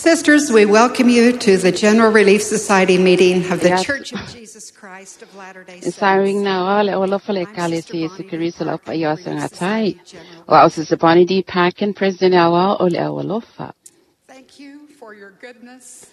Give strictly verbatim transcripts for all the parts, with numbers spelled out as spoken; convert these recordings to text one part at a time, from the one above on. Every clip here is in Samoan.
Sisters, we welcome you to the General Relief Society meeting of the Yes. Church of Jesus Christ of Latter-day E Saints. saring na o le olofa le I'm kale Sister si Yesu Bonnie D. Keriso lau Parkin, pa ia Relief sa Society ngatai. General O au Sister Bonnie D. Parkin, President Awa o le Awalofa. Thank you for your goodness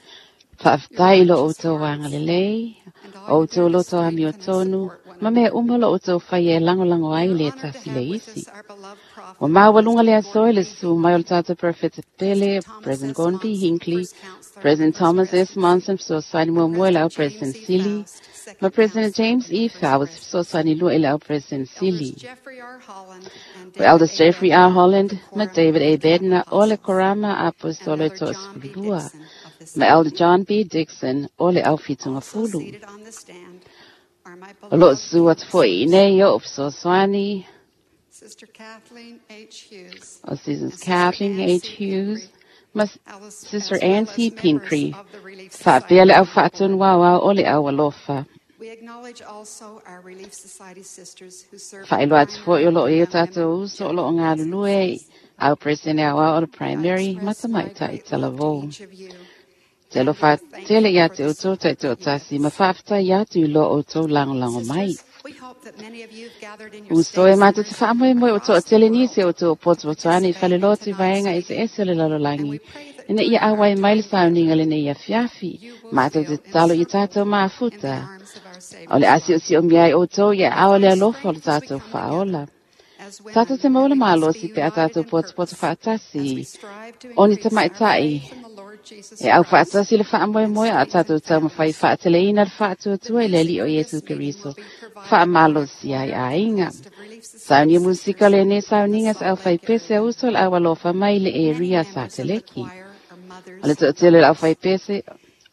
Whaaftai i lo o tō wanga lelei, and all o you tō do to loto a mio strengthen and tonu, support one ma mea another. uma lo o tō whai e langolango ai We are le honored to tasi have le with isi. us our beloved O prophet, māua lunga le President aso e Gordon le B. su mai o le Hinckley, tātou Prophet Pele, President Thomas President S. Gordon B. Monson, Hinckley, First Counselor of the President First Thomas S. Presidency, Monson, Fesoasoani and muamua i lau President James President E. Sili, Faust, ma Second President Counselor James of the E. First Faust, Presidency. Fesoasoani lua i lau President Elders Sili. Jeffrey R. Holland and O David Elders A. Jeffrey R. Bednar of Holland, the ma Quorum of David the A. Twelve Bednar, o le Apostles, Korama and Apostolo Elder to John B. Sefulua, Dixon of the ma Elder Seventy. John B. Dixon, o le au Fitunga Also Fulu. seated on the stand are my O lo beloved su atu foi i sisters, nei o Fesoasoani, Sister Kathleen H. Hughes o Sisters and Sister Kathleen Ann H. C. Hughes, Pincree, ma as Sister as Ann well C. as members Pincree, of the Relief whaapea Society le au Board. whaatun wāwā o le au alofa. We acknowledge also our Relief Society sisters who serve in Whaelo atu foi o primary lo and e o young tātou women uso o lo general o ngā lulue, presidencies. au President awa o le I primary, express my matamaitai great love to talavou. each of you Te lo and am whaatele thankful ia for te the o tō support te o you give tasi, ma us. whaafta ia tu lo o tō langolango mai. Sisters, we hope that many of you have gathered in your Uso e stake mātou te centers whaamoe moe o tō across the tele world nisi o to tō poto atoani whale participate in lotu tonight's vaenga ese meeting, ese o le and lalolagi. we pray that Ina ia during our awai mai le time sauninga together, le nei afiafi, you will mātou te feel talo i encircled tātou in the māfuta. arms of our O le Savior's asi o love. si o miai o tō ia We ao le find alofa o le strength as we tātou come together whaola. as Tātou women, te and maula we must be mālosi pe a united tātou in poto poto purpose as we whaatasi. strive to O ni increase te our maitai, faith in the Lord Jesus e au Christ whaatasi le whaamoe and moe a tātou strengthen taumawhai families. whaateleina le The whaatuatua i le music li o for Iesu this meeting will Keriso. be provided by Wha our malosi ai choir ainga. composed of Relief Saunia Society musika sisters le ne from the sauninga sa au Salt Lake whaipese area. uso le au alofa mai le e Many ria members of the sateleki. choir are O le mothers and toatele le au daughters. whaipese,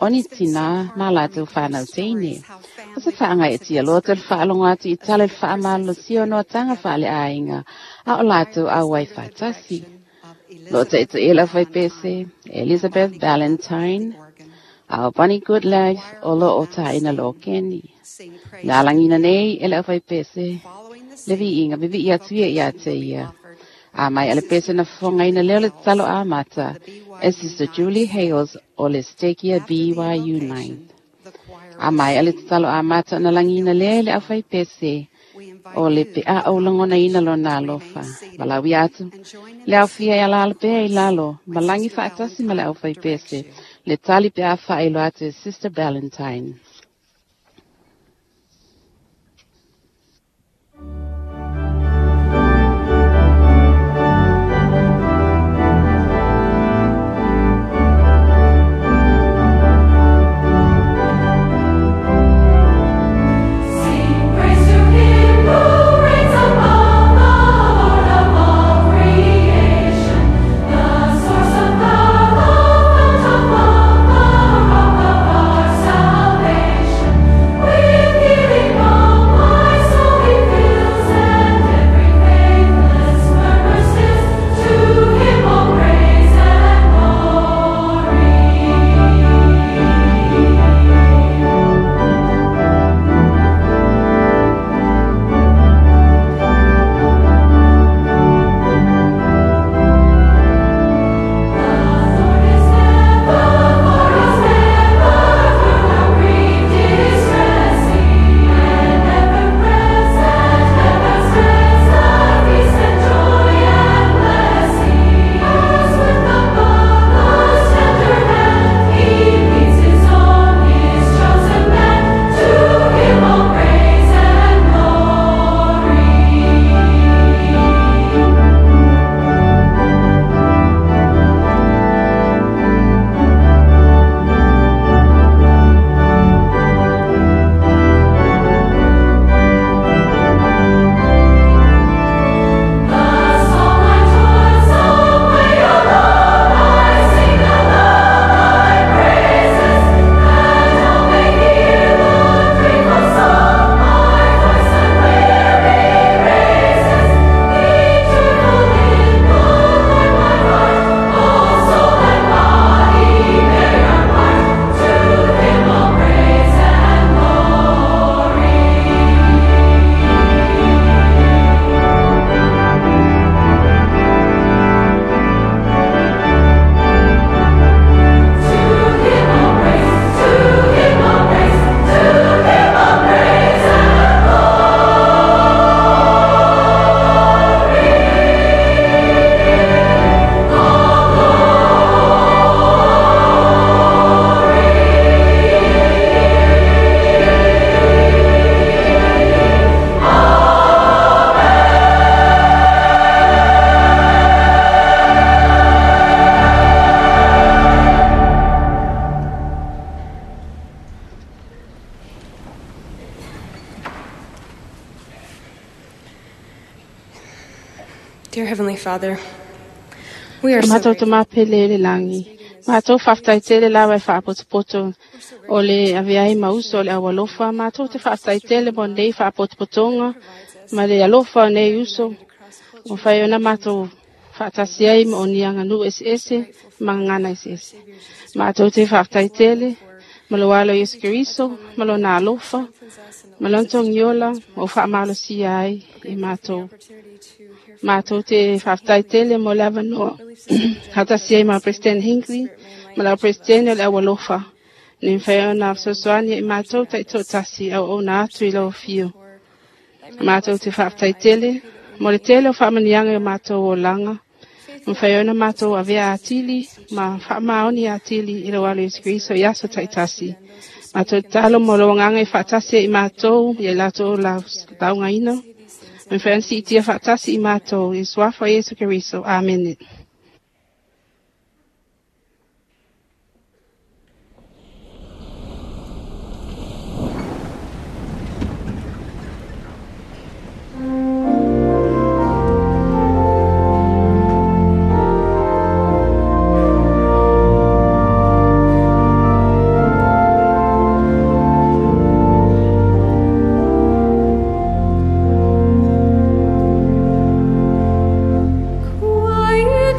oni It's been so tina hard mā for me lātou to hear whānau teine. stories how O se family whaanga bonds e have tia been loa te strengthened whaalongo atu i as tale the le whaamalo sio noa participated tanga together. whaale ainga, a The o lātou choir au is wai under the whaatasi. direction of Lo te Elizabeth te ela Valentine whaipese, and Elizabeth Bonnie Goodlove at the Valentine, organ. a Bonnie The Goodlife choir o lo will o now tāina lo sing, keni. sing La praise to langina Him. nei e le whaipese, Following the le singing, viinga vivi the ia tuia ia invocation te will be ia. offered A mai by ale pese Sister na whangaina Julie leo le Hales talo a of mata, the e B Y U Sister ninth Julie Stake. Hales o le stekia After the B Y U nine. invocation, the choir A will mai ale sing, talo a mata na We Will langina Fill le This le au Room. whaipese, We o invite le you, pe a the au langona ina lo congregation, nā to remain lofa. seated Malawi atu, and join in le the au fia ia singing of lalo the pea i chorus lalo, when malangi Sister whaatasi ma le au Valentine whaipese, directs you. le tali pe a whaelo atu e Sister Valentine. Sing praise to Him who reigns above, the Lord of all creation, the source of power, the fount of love, the rock of our salvation. Dear Heavenly Father, we are so Matou grateful. tama pele le lagi. Matou faafetai tele lava e faapotopoto o le avea ai ma uso o le aualofa. Matou te faafetai tele mo nei faapotopotoga ma le alofa o nei uso. Ua fai ona matou faatasi ai ma o ni aganuu eseese ma gagana eseese. Matou te faafetai tele ma lo alo Iesu Keriso ma lona alofa ma lona togiola ma o faamalosia ai i matou. Matou te faafetai tele mo le avanoa faatasi ai ma President Hinckley ma lau President o le aualofa. Ne mafai ona fesoasoani i matou taitoatasi auauna atu i lau afio. Matou te faafetai tele mo le tele o faamanuiaga i o matou olaga. Mafai ona matou avea atili ma faamaoni atili i lau alo Iesu Keriso i aso taitasi. Matou tatalo mo lou agaga e faatasi ai i matou ia i latou laugaina. Mafai ona siitia faatasi i matou i suafa o Iesu Keriso. Amene. Quiet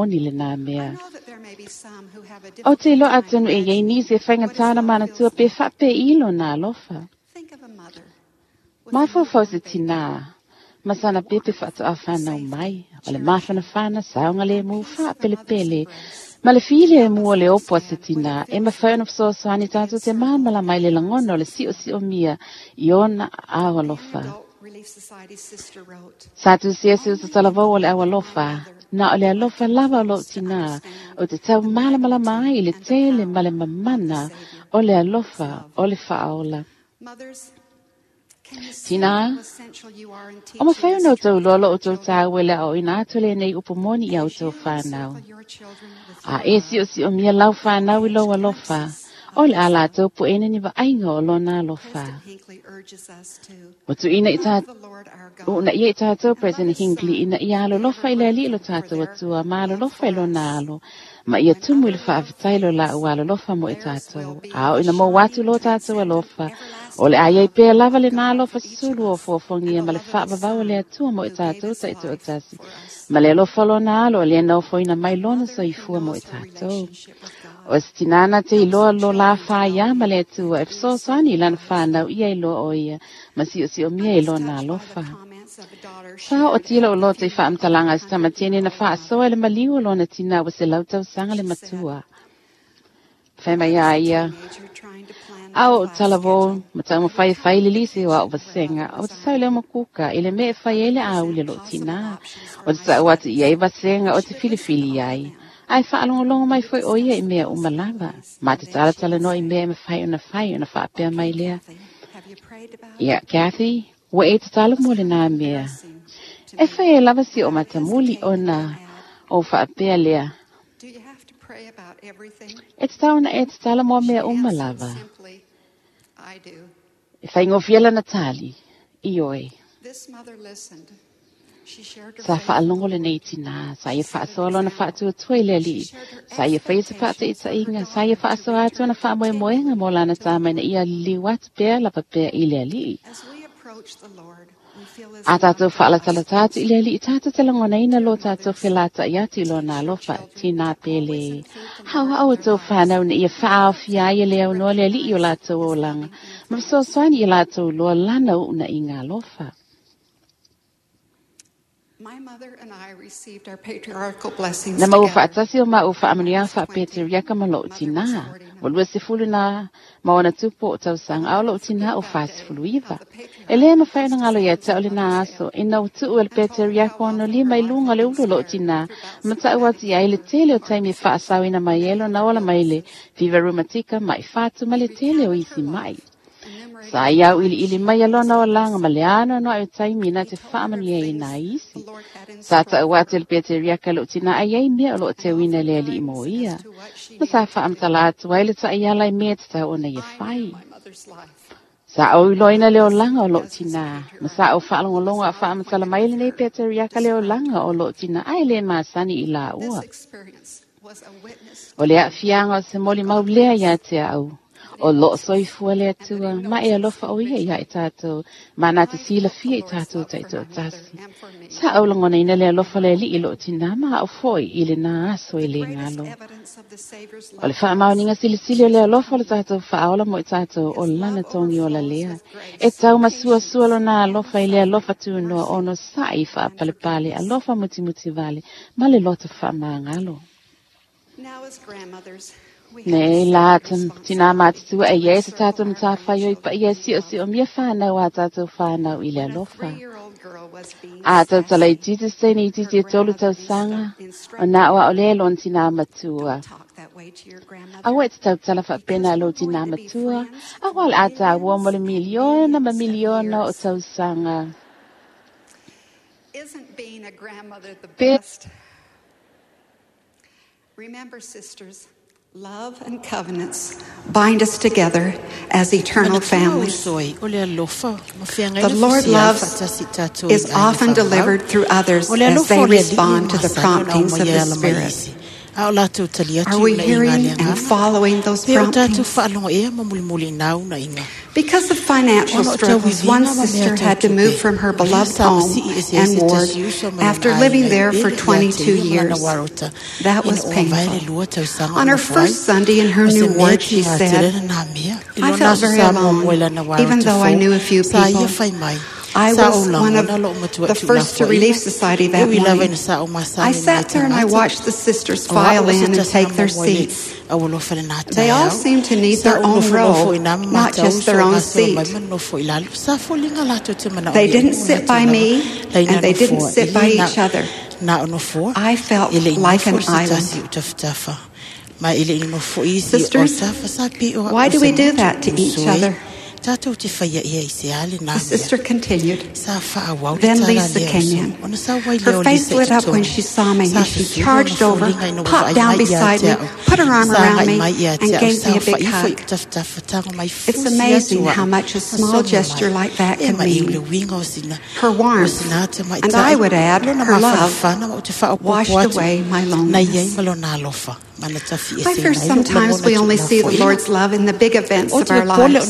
moni lenā I mea. know that there may be some who have a Ou te difficult iloa time atonu e iai imagining nisi e what his faigata ona love manatua feels pe like. faapei lona alofa. Think of a mother with a Mafaufau newborn se baby. tinā, ma sana pepe faatoa whanau Warmth, mai, safety, o le cherishing, mafanafana, saogalemu, and peace of a mother's faapelepele, embrace. Ma le fili e mua le opo a se tina, e mawhai ona fesoasoani tātou te māmala mai le lagona o le siosio mia i ona ao alofa. Sa tusia se uso talavou o le au alofa, na o le alofa lava o loo tina, o te tau malamalama ai i le tele ma le mamana o le alofa o le faaola. Tina, o mawhai ona o tau loa lo o tau tāu e le ao ina atu le nei upu moni i au tau whanau. A e sio sio mia lau whanau i lau alofa, o le ala tau po ene ni vaaiga o lona alofa. O tu ina i tā, o na ia i tātou President Hinckley ina ia alolofa i le alii lo tātou atua, ma alolofa i lona alo, ma ia tumu i le faafetai lo la ua alolofa mo i tātou. A o ina mo atu lo tātou alofa, o le ai ai pea lava le nā alofa sulu o foafongia ma le faavavau o le atua mo i tātou ta i toatasi. Ma le alofa lona alo o le naufoina mai lona soifua mo i tātou. O se tinana te iloa lo la whaia ma le atua e fesoasoani i lana whanau ia i loa o ia, ma siosio mia i lona alofa. Sa o tila o loto i whaamtalanga se tamatene na whaasoa le maliu o lona tina wa se lautau sanga le matua. Whai mai a ia, ao o talavo, ma tau mawhai whai lilisi o ao vasenga, o te sau leo makuka, i le mea whai ele au le lo tina. O te sau atu ia i vasenga o te filifili ai. Ai whaalongolongo mai foi o ia i mea umalava. Ma te talatala no i mea e mawhai ona whai ona whaapea mai lea. Ia, Kathy, ua e tatalo mo le nā mea. E whai e lava si o matamuli ona o whaapea lea. E tatau na e tatalo mo mea umalava. E whai ngofia lana tali, i oe. Sa whaalongo le nei tina, sa ia whaasoa lona whaatuatua i le alii, sa ia whai se whaataitainga, sa ia whaasoa atu na whaamoemoenga mo lana tāmai na ia liu atu pea lapa pea i le alii. A tātou whaalatalata atu i le alii, tātou te langonaina lo tātou whelata i atu i lona alofa, tina pele. Hau hau o tō whanau na ia whaawhia ai le au noa le alii o lātou o langa, ma fesoasoani i lātou loa lana una i ngā alofa. Na mau whaatasi o mau whaamanuia whaapeteriaka ma loo tina. Wa lua sefulu na maona tupo o tausanga au loo tina o whaasefulu iwa. E lea mawhai na ngalo ia tau le nā aso, ina o tuu ele peteriaka ono lima i lunga le ulu loo tina. Ma tau atu ia ile tele o taimi whaasawina mai elo na ola mai le viva rumatika mai whātu ma le tele o isi mai. Sa iau ili ili mai alona o langa ma le ano no au taimi na te whaamania i nā isi. Sa tau atu le peteriaka lo tina ai ai mea o lo te wina le ali i mo ia. Ma sa whaamtala atu ai le tai ala i mea te tau ona ia whai. Sa au iloina le olanga o lo tina. Ma sa au whaalongolongo a whaamtala mai le nei peteriaka le olanga o lo tina ai le maasani i la ua. O le aafianga o se moli maulea ia te au. O lo soifua le atua, ma e alofa o ia ia i tātou, ma nā te sila fia i tātou ta i tō tasi. Sa au langona ina le alofa le li i lo tina, ma au foi i le nā aso i le ngalo. O le whaamauninga silisili o le alofa o le tātou whaaola mo i tātou o lana tongi o la lea. E tau masua sua lo nā alofa i le alofa tūnoa ono sa i whaapalepale, alofa mutimuti vale, ma le loto whaamangalo. Nei la tina mātutua e ia se tātou mtāwhai oi pa ia sio sio mia whānau a tātou whānau i le alofa. A tau talai titi sene i titi e tolu tau sanga, o nā oa o le lon tina matua. Aua e te tau tala whapena lo tina matua, aua le ata aua mo le miliona ma miliona o tau sanga. Isn't being a grandmother the best? Remember, sisters, love and covenants bind us together as eternal families. The Lord's love is often delivered through others as they respond to the promptings of the Spirit. Are we hearing and following those promptings? Because of financial struggles, one sister had to move from her beloved home and ward after living there for twenty-two years. That was painful. On her first Sunday in her new ward, she said, I felt very alone, even though I knew a few people. I was one of the first to Relief Society that morning. I sat there and I watched the sisters file in and take their seats. They all seemed to need their own row, not just their own seat. They didn't sit by me, and they didn't sit by each other. I felt like an island. Sisters, why do we do that to each other? The sister continued. Then Lisa came in. Her face lit up when she saw me, and she charged over, popped down beside me, put her arm around me, and gave me a big hug. It's amazing how much a small gesture like that can mean. Her warmth, and I would add, her love, washed away my loneliness. I fear sometimes we only see the Lord's love in the big events of our lives.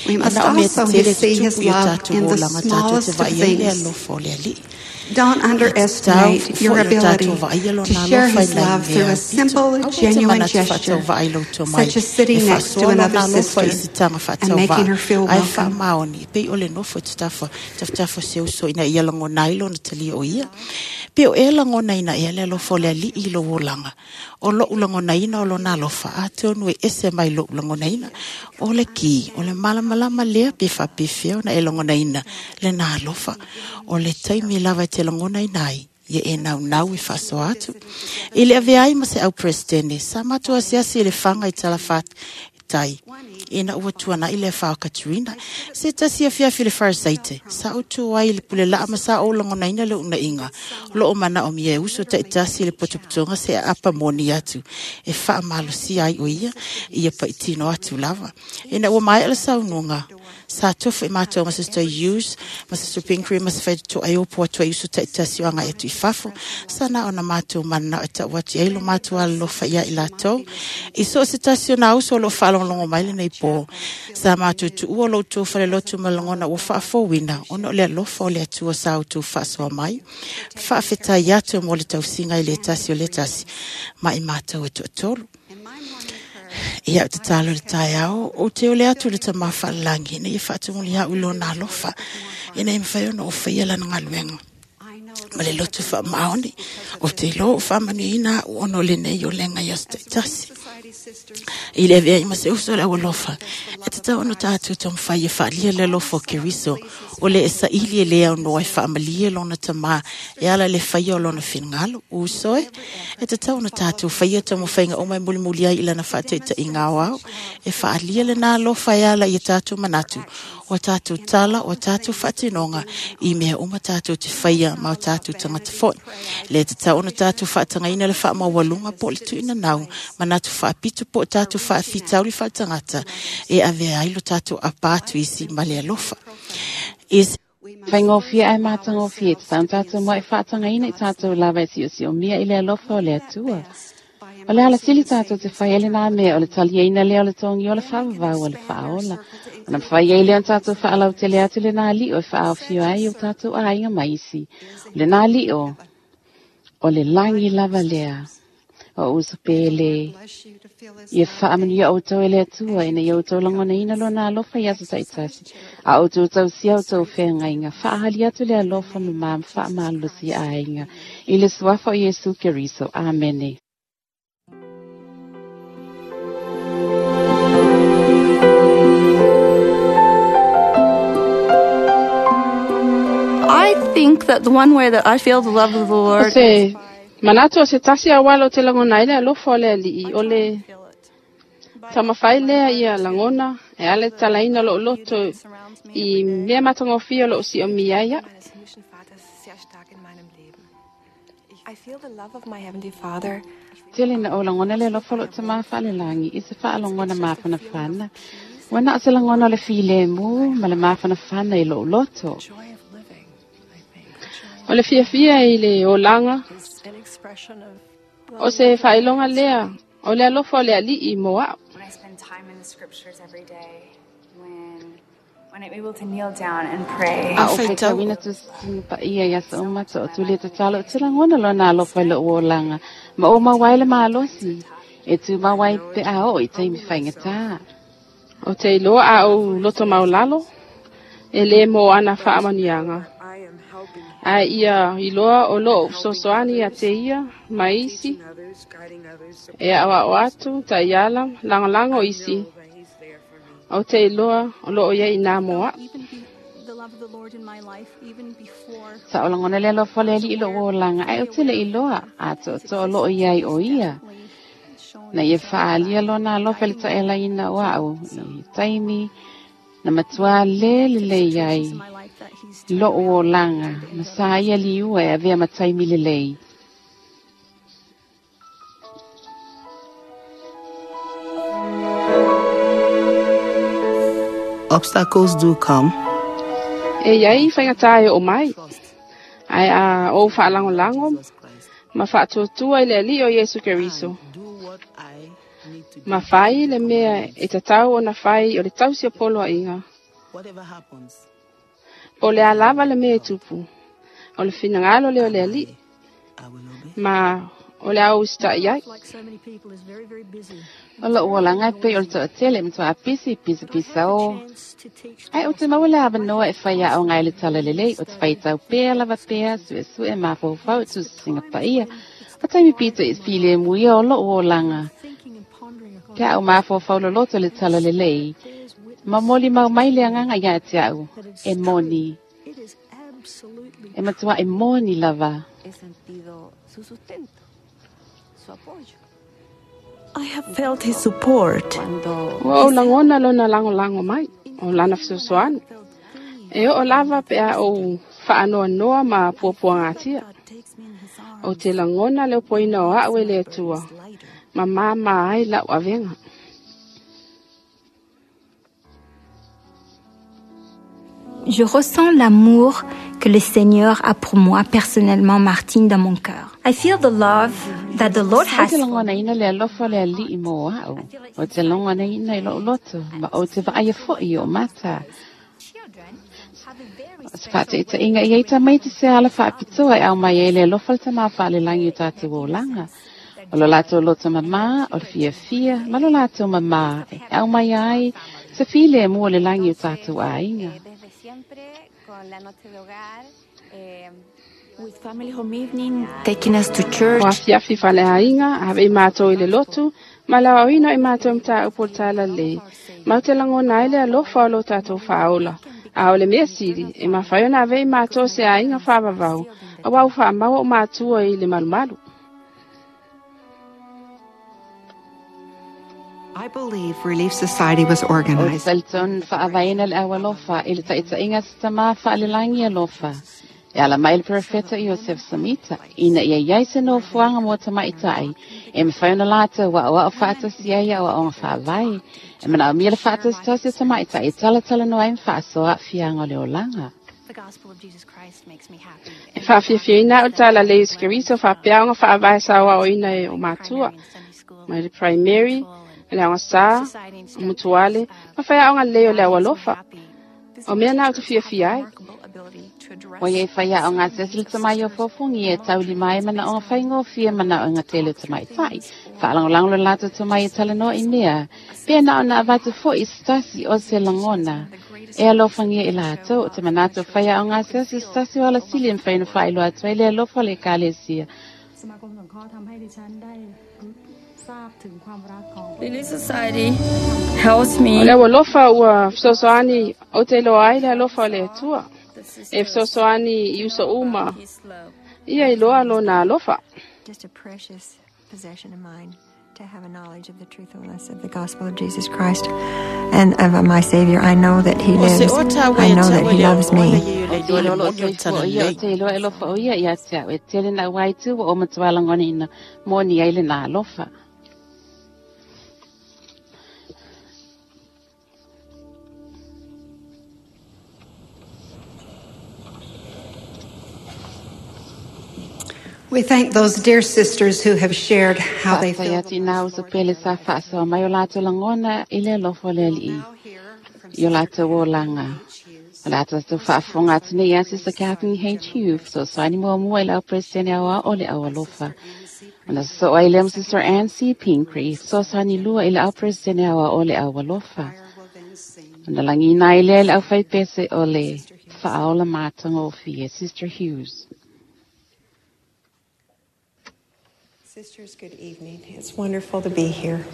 We must also see His love in the smallest of things. Don't underestimate your ability to share His love through a simple, genuine gesture, such as sitting next to another sister and making her feel welcome. Ye e nau nau e whaso atu. I le ave ai ma se au presidente, sa matua siasi i le whanga i tala tai. Ina ua tuana i le whao Katrina. Se tasi a fiafi le wharasaite. Sa utu ai le pule laa ma sa o langona ina le una inga. Lo o mana o mia uso te tasi le potopotonga se apa moni atu. E wha malosi ai o ia, ia pa itino atu lava. Ina ua mai ala saununga. Sa tofu i mātou ma Sister Hughes, ma Sister Pinkery, ma se whaito ai opo atu ai uso te tasi o anga e tu i fafo. Sa na ona mātou mana o ta wati ai lo mātou alofa ia i lātou. I so se tasi o nā uso lo whalonglongo mai le nei pō. Sa mātou tu ua lo tō whale lotu malangona ua whaafōwina. Ono le alofa o le atua sa o tō whaasoa mai. Whaafetai atu mo le tausinga i le tasi o le tasi. Ma i mātou e tuatolu. Ia o te talo le tai ao, o te ole atu le tama whalangi, ina i whaatumuli hau ilo nā alofa, ina i mwhai ono o whaia lana ngaluenga. Ma le lotu wha maoni, o te lo o whamanu ina o ono le nei o lenga i aso tasi. I le avea i mase uso le alofa, e te tau ono tātou tau mwhai e whaalia le alofa o Keriso, o le esa ili e lea ono e whaamalia lona tama, e ala le whaia o lona whingalo, uso e, e te tau ono tātou whaia tau mwhainga o mai mulimuli ai ilana whaataita i ngā au, e whaalia le nā alofa e ala i tātou manatu, o tātou tala, o tātou whaatinonga, i mea uma tātou te whaia ma o tātou tangata fo'i. Le te tau ono tātou whaatangaina le whaamawalunga po le tuina nau, manatu whaapitu po tātou whaafitauli whaatangata, e avea ai lo tātou apātu isi ma le alofa. Is Whaingofia ai mātangofia, te taun tātou mua e whaatangaina i tātou lava e sio sio mia i le alofa o le atua. O le ala sili tātou te whai ele nā mea o le taliaina lea o le tongi o le whaavavau o le whaola. O na whai eile an tātou whaalau te le atu le nā lio e whaawhio ai o tātou ainga maisi. O le nā lio, o le langi lava lea. O uso pele, ia whaamanu ia outou e le atua, ina ia outou langona ina lo nā alofa i aso taitasi. A outou tau sia outou whengainga, whaahali atu le alofa ma mam whaamalosi ainga. I le suafa o Yesu Keriso. Amene. I think that the one way that I feel the love of the Lord se manato se tasi awalo te langona ile alofa o le alii o le tamawhai lea ia langona e ale talaina lo loto i mea matangofia lo si o miaia. I feel the love of my Heavenly Father. Tele na o langona le alofa lo te mawhale langi i se whaalongona mawhana whana. Wana se langona le filemu ma le mawhana whana i lo loto. O le fiafia i le olanga o se whailonga lea o le alofa o le alii mo au. When I spend time in the scriptures every day, when when I'm able to kneel down and pray. A o whaitawina tu pa ia ia sa umata o tuli te talo o te langona lo nā alofa i lo olanga. Ma o mawai le maalosi e tu mawai pe a o i taimi whaingatā. O te iloa a o loto maulalo E le mo ana whaamanianga. Ai ia iloa o loo fesoasoani ia te ia ma isi. E awa o atu, taiala, langolango isi. O te iloa o loo ia ina moa. Sa o langona le alofa le ali i loo olanga, ai o te le iloa, a to to o loo iai o ia. Na ia whaalia lona alofa le taela ina o au, i taimi, na matua le le iai, loo olanga, na sa ia liua e avea mataimi lelei. Obstacles do come. E iai whaingatai o mai. Ai a o whaalangolango, ma whaatuatua i le ali o Yesu Keriso. Ma whai le mea e tatau o na whai o le tausi o polo a inga. O le alava le mea e tupu. O le finangalo le o le ali. Ma o le au ista iai. O lo uolanga e pei o le toatele matua apisi pisa pisa o. Ai o te maua le awanoa e whai ao ngai le tala lelei o te whaitau pea lava pea sue sue mawhaufau tu singa paia. O taimi pito i file muia o lo uolanga. Te au mawhaufau loloto le tala lelei. Ma moli mau mai le anganga ia te au. E moni. E matua e moni lava. I have felt his support. Ua o langona lona langolango mai, o lana fesoasoani. E o lava pe a o whaanoa noa ma puapua ngatia. O te langona leo poina o au e le atua, ma mama ai lau avenga. Je ressens l'amour que le Seigneur a pour moi personnellement, Martine, dans mon cœur. I feel the love that the Lord has. O te langona ina le alofa le ali i mō au. O te langona ina i lo'oloto. Ma o te vaaya fo'i o mata. O te whaataita inga i eita mai te se ala whaapitoa e au mai e le alofa le tamā whaalelangi o tātou olanga. O lo lātou loto mamā, o le fia fia, ma lo lātou mamā e au mai ai se file e mua le langi o tātou āinga. With family home evening, taking us to church. O afiafi whale ainga, have i mātou i le lotu, ma lau auina i mātou mta au portala le. Mau te langona ai le alofa o lo tātou whaola. A o le mea siri, e mawhai ona ave i mātou se ainga whaavavau, a wau whaamaua o mātua i le malumalu. I believe Relief Society was organized. O te whaavaina le awalofa i le taitainga se tamā whaalelangi alofa. E ala mai le profeta Iosef Samita, ina ia iai se no fuanga mō tamaitai, e mawhai ona lātou wa oa o whaatasi ai a oa whaavai, e mana o mia le whaatasi tasi o tamaitai, e talatala noa e mwhaasoa fianga o le olanga. E whaafiafiaina o tala le Yesu Keriso whaapeaonga whaavae sawa o ina e o mātua, mai le primary, le aonga sā, o mutuale, ma whai aonga leo le awalofa. O mea nā o te fiafia ai. O ia i whai ao ngā sesili tamai o fōfongi e tauli mai mana o ngā whaingo fia mana o ngā tele tamai tai. Whaalangolango le lātou tamai e talanoa i mea. Pea na o nā avatu fo i stasi o se langona. E alofangia i lātou o te manato whai ao ngā sesili stasi o alasili e mwhaina whailo atu ai le alofa le kalesia. Relief Society helps me. O le alofa ua fesoasoani o te loa ai le alofa o le Atua. E fesoasoani i uso uma. Ia i loa lona alofa. Just a precious possession of mine to have a knowledge of the truthfulness of the gospel of Jesus Christ and of my Savior. I know that he lives. I know that he loves me. O te iloa alofa o ia ia te au e tele na waitu o matua langona ina moni ai le nā alofa. We thank those dear sisters who have shared how they feel. Whaatai atu ina uso pele sa whaasoa mai o lātou langona i le alofa le alii. I o lātou o langa. O lātou atu whaafonga atu nei ia Sister Kathleen H. Hughes, so saini mua mua i lau presidente au a o le au alofa. Ona so ai lea Sister Ann C. Pingree, so saini lua i lau presidente au a o le au alofa. Ona lagina ai lea i le aufaipese o le faaola matagofie, Sister Hughes. Sisters, good evening. It's wonderful to be here.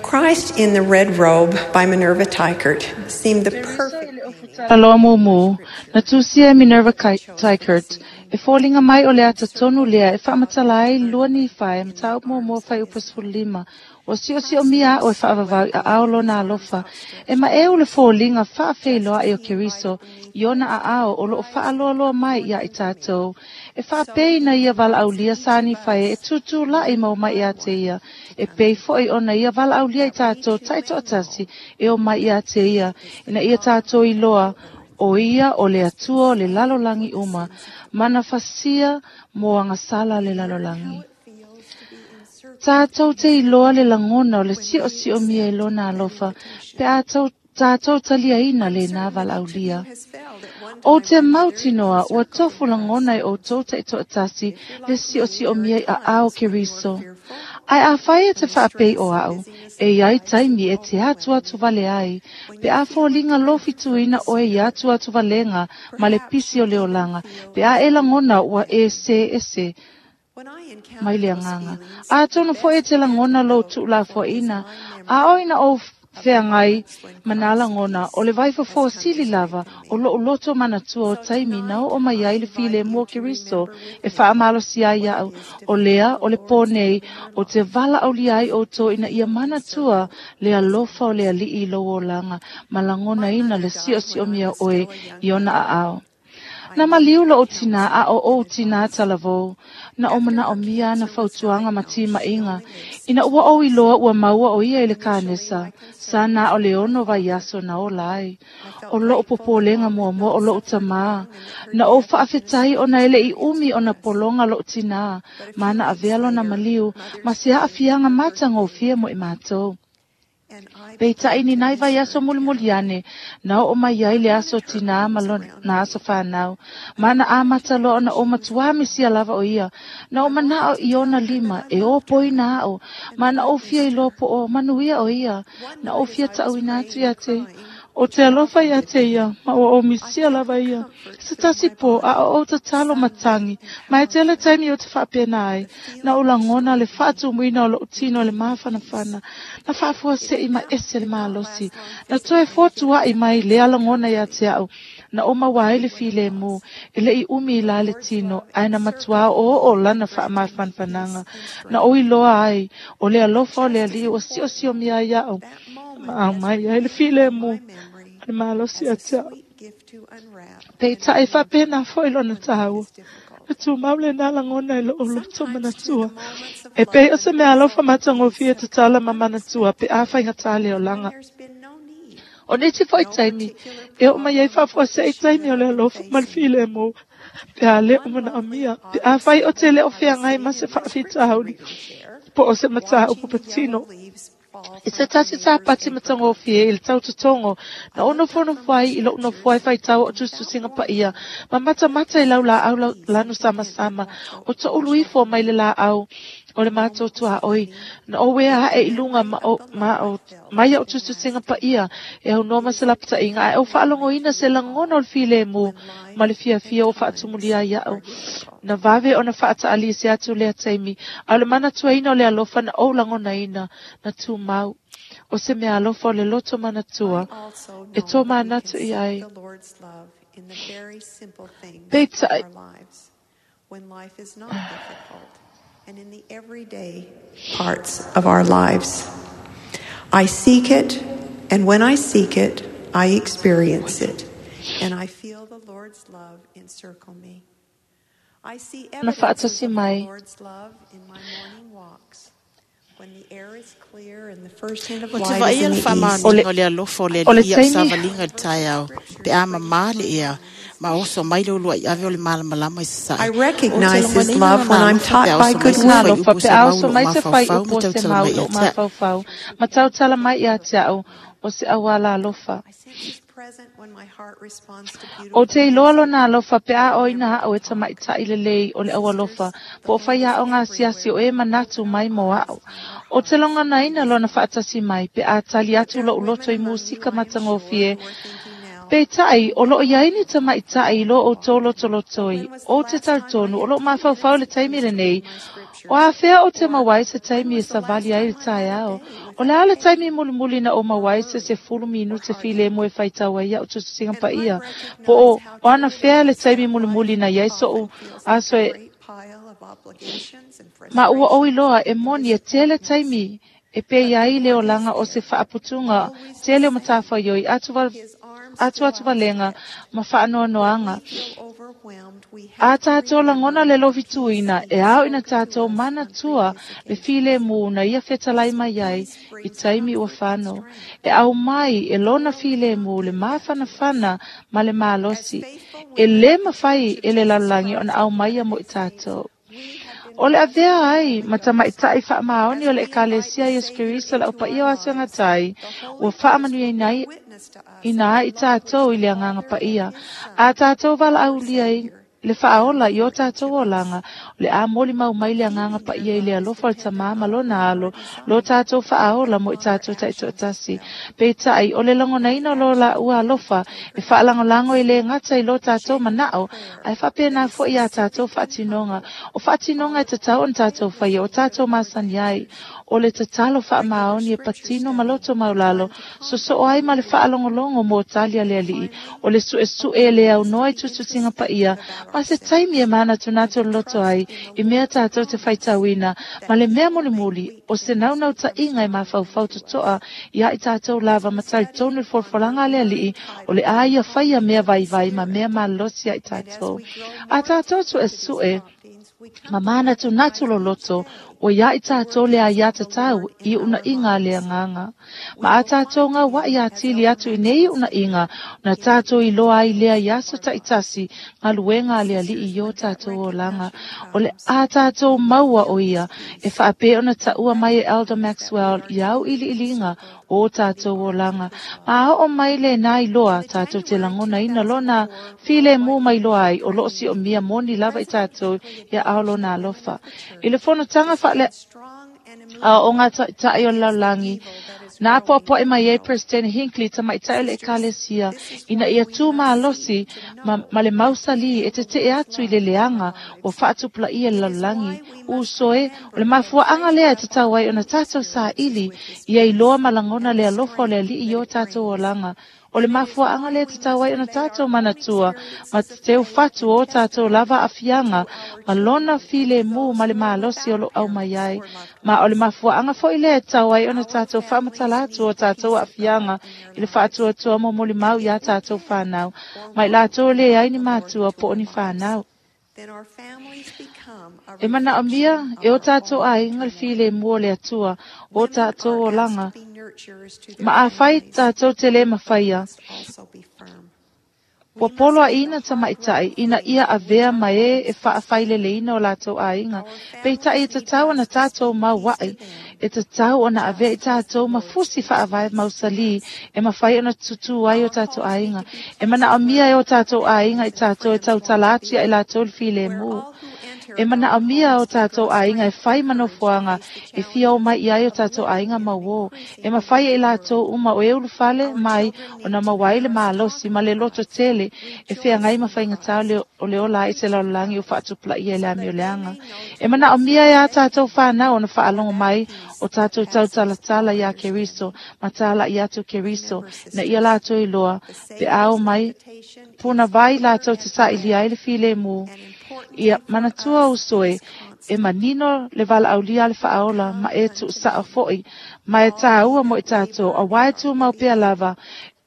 Christ in the Red Robe by Minerva Teichert seemed the perfect Aloa mumu, na tusia Minerva Teichert, e fōlinga mai o le ata tonu lea e whaamatala ai lua ni whae, matau mua whai upasfulu lima, o sio sio mia o e whaavavau a ao lona alofa, e ma e ule fōlinga whaawheiloa e o Keriso, i ona a ao o loo whaaloaloa mai ia i tātou, e whaapei na ia wala aulia sani whae e tūtū la i mau mai ia te ia, e pei foi ona ia wala aulia i tātou taito atasi e o mai ia te ia, ina ia tātou i loa, o ia o le atua o le lalolangi uma, mana fasia mo angasala le lalolangi. Tātou te iloa le langona o le sio sio mia i lona alofa, pe a tau tātou talia ina le nā valaulia. O te mautinoa, ua tofu langona e o tau te toatasi le sio sio mia i a ao Keriso. Ai a whai e te whaapei o au, e iai taimi e te atu atu vale ai, pe a fōlinga lofi tuina oe i atu atu valenga ma le pisi o le olanga, pe a e langona ua e se e se mai le anganga. A tono fo e te langona lo tūla foina, a oina o wheangai manala ngona o le vaifo fo sili lava o lo loto manatua o taimi na o mai ai le file mua Keriso e whaamalo si ai au o lea o le pōnei o te vala au liai o tō ina ia manatua le alofa o le alii lo o langa malangona ina le sio sio mia oe i ona a ao. Na maliu lo o tina a o o tina talavou, na o mana o mia na fautuanga mati mainga, ina ua o iloa ua maua o ia i le kānesa, sa na o le ono vai aso na o lai, o loo popolenga mua mua o loo tamā, na o whaafetai o na ele i umi o na polonga loo tina, mana avea lona maliu, ma se aafianga matagofie mo i mātou. Peitai ni nai vai aso mulimuliane, na o mai ai le aso tina ma na aso whanau. Mana amata loa na o matua misia lava o ia, na o manao i ona lima, e o poina ao, mana o fia i lopo o manuia o ia, na o fia tauina atu ia te. O te alofa ia te ia, ma o o misia lava ia. Se tasi po, a o o tatalo matangi, ma e tele taimi o te whaapena ai, na o langona le whaatumuina o loo tino le maawhanawhana, na whaafua se i ma ese le maalosi, na toe fōtua i mai le alangona ia te au, na o mawae le file mō, e le i umi i la le tino, ai na matua o o lana whaamawhanwhananga, na o iloa ai, o le alofa o le ali o sio sio mia iau, ma au mai ai le file mō, le malosi a te au. Peitai whapena foi lona tāua. Na tūmau le nā langona e loo loto manatua. E pei o se mea alofa matagofie tatala ma manatua pe a whaingatā le olanga. O neti foi taimi, e o mai ai whaafua se i taimi o le alofa ma le file mō. Pe a le o mana amia, pe a whai o te leo whiangai ma se whaafita hauli. Po o se mataa upapatino. I se tasi tā pati matagofie i le tautotongo, na ono fono whai i lo ono whai whai tau o tustusinga pa ia, ma mata mata i lau la au lanu sama sama, o to uluifo mai le la au, o le mātotoa oi, na o wea hae i lunga ma o, ma o, mai o tustusinga pa ia, e au noa se lapata inga, e o whaalongo ina se langona o le file mō, ma le fia fia o whaatumulia ia au. Na vave o na whaata ali se atu lea taimi, a le mana tuaina o le alofa na o langona ina, na tū mau. O se mea alofa o le loto manatua, e tō manatu i ai. Peitai. And in the everyday parts of our lives. I seek it, and when I seek it, I experience it, and I feel the Lord's love encircle me. I see evidence of the Lord's love in my morning walks. When the air is clear and the first hint of O te light vai is in le the east. whaamanuiga o le alofa o le O le alii au taimi. savaliga i le taeao, pe a mamā le ea, ma oso mai le ulua i ave o le malamalama i sasae. I O te recognize his lagonaina love when lona I'm alofa pe taught a by oso mai good se will. Alofa whaiupu pe se a mau oso lo mai se mafaufau ma whaiupu se tautala mau mai lo ia te mafaufau. Ma tautala mai ia te au. O o se auala alofa. O te iloa lona alofa pe a o ina ao e tamaitai lelei o le aualofa, po o whai ao ngā siasi o e manatu mai mo ao. O te longana ina lona whaatasi mai pe a tali atu lo uloto i musika matangofie. Pe tai, o loo iaini tamaitai lo o tō lotolotoi, o te tautonu, o loo mawhauwhau le taimi le nei, o a whea o te mawai se taimi e savali ai le tae ao. O le ale taimi mulimuli na o mawai se se fulu minu te file mo e whaitawa ia o tututinga pa ia. Po o, o ana whea le taimi mulimuli na iai so o aso e ma ua o iloa e moni e tele taimi e pe iai le olanga o se whaaputunga tele o matawha ioi atu wal atu atu valenga ma whaanoanoanga. A tātou langona le lovituina e au ina tātou mana tua le file mū na ia whetalai mai ai i taimi ua whano. E au mai e lona file mū le māwhanawhana ma le mālosi. E le mawhai e le lalangi ona au mai a mo i tātou. O le avea ai, matamaitai wha maoni o le ekalesia Yesu Kristo la upa ia o asuanga tai, ua whaamanu nei ina i tātou i le anganga pa ia. A tātou wala aulia i le whaola i o tātou olanga, le a moli mau mai le anganga pa ia i le alofa o le tamama lona alo, lo tātou whaola mo i tātou taitoatasi. Pe tai, o le longonaina lo la ua alofa, e whaalangolango i le ngata i lo tātou manao, ai whapena fo i a tātou whaatinonga. O whaatinonga e tatau on tātou whaia, o tātou masani ai, o le tatalo wha maoni e patino maloto maulalo, so so ai ma le whaalongolongo mo talia le alii, o le sue sue le au noa i tututinga pa ia, ma se taimi e mana tunato loto ai, i mea tātou te whaitauina, ma le mea mulimuli, o se naunau ta inga e mawhauwhau totoa, i ai tātou lava matai tonu forforanga le alii, o le aia whaia mea vaivai ma mea malosi ai tātou. A tātou tu e sue, ma mana tunatu loloto, o ia i tātou le a ia tatau i una inga le anganga. Ma a tātou ngā wa i a tili atu i nei una inga, na tātou i loa i lea i aso taitasi, ngā luenga le ali i o tātou o langa. O le a tātou maua o ia, e whaape ona taua mai e Elder Maxwell i au ili ilinga o tātou o langa. Ma a o mai le nā i loa tātou te langona ina lona file mū mai loa ai o loo si o mia moni lava i tātou ia ao lona alofa. I le fonotanga whaale a o ngā ta'i o laulangi, nā poapoe mai e President Hinckley ta mai tae le ekalesia, ina ia tū mālosi ma, ma le mausali e te te atu i le leanga o whaatupula ia le laulangi. Usoe, o le mafuaanga lea e te tau ai o na tātou sa ili, ia i loa malangona le alofa o le alii o tātou o langa. O le mafuaanga le te tau ai o na tātou manatua, ma te teu whatu o tātou lava afianga, ma lona file mū ma le malosi o lo au mai ai. Ma o le mafuaanga foi le tau ai o na tātou whaamatala atu o tātou afianga, i le whaatua tua mo moli mau i a tātou whanau. Mai lātou le ai ni mātua po o ni whanau. E mana o mia, e o tātou ai ngā file mua le atua, o tātou o langa. Ma a whai tātou te le mawhaia. Ua polo a ina tamaitai, ina ia avea mai e e whaawhaile le ina o lātou ainga. Peitai e tatau ana tātou mau wai, e tatau ana avea i tātou mafusi whaawai mausali, e mawhai ona tutu ai o tātou ainga. E mana o mia e o tātou ainga i tātou e tautalātia e lātou le file mū. E mana o mia o tātou ainga e whai manofuanga, e fia o mai i ai o tātou ainga mauo. E mawhai e lātou uma o e uluwhale mai o na mawai le mālosi ma le loto tele, e whea ngai mawhai ngā tau le o le ola i te laulangi o whaatupla i e le ami o leanga. E mana o mia e a tātou whanau o na whaalongo mai o tātou tautalatala i a Keriso, matala i atu Keriso, na ia lātou i loa, pe ao mai, puna vai lātou te saili ai le file mū. Ia manatua usoe, e manino le wala aulia le whaola, ma e tu saa foi, ma e tāua mo i tātou, a wai tū mau pea lava,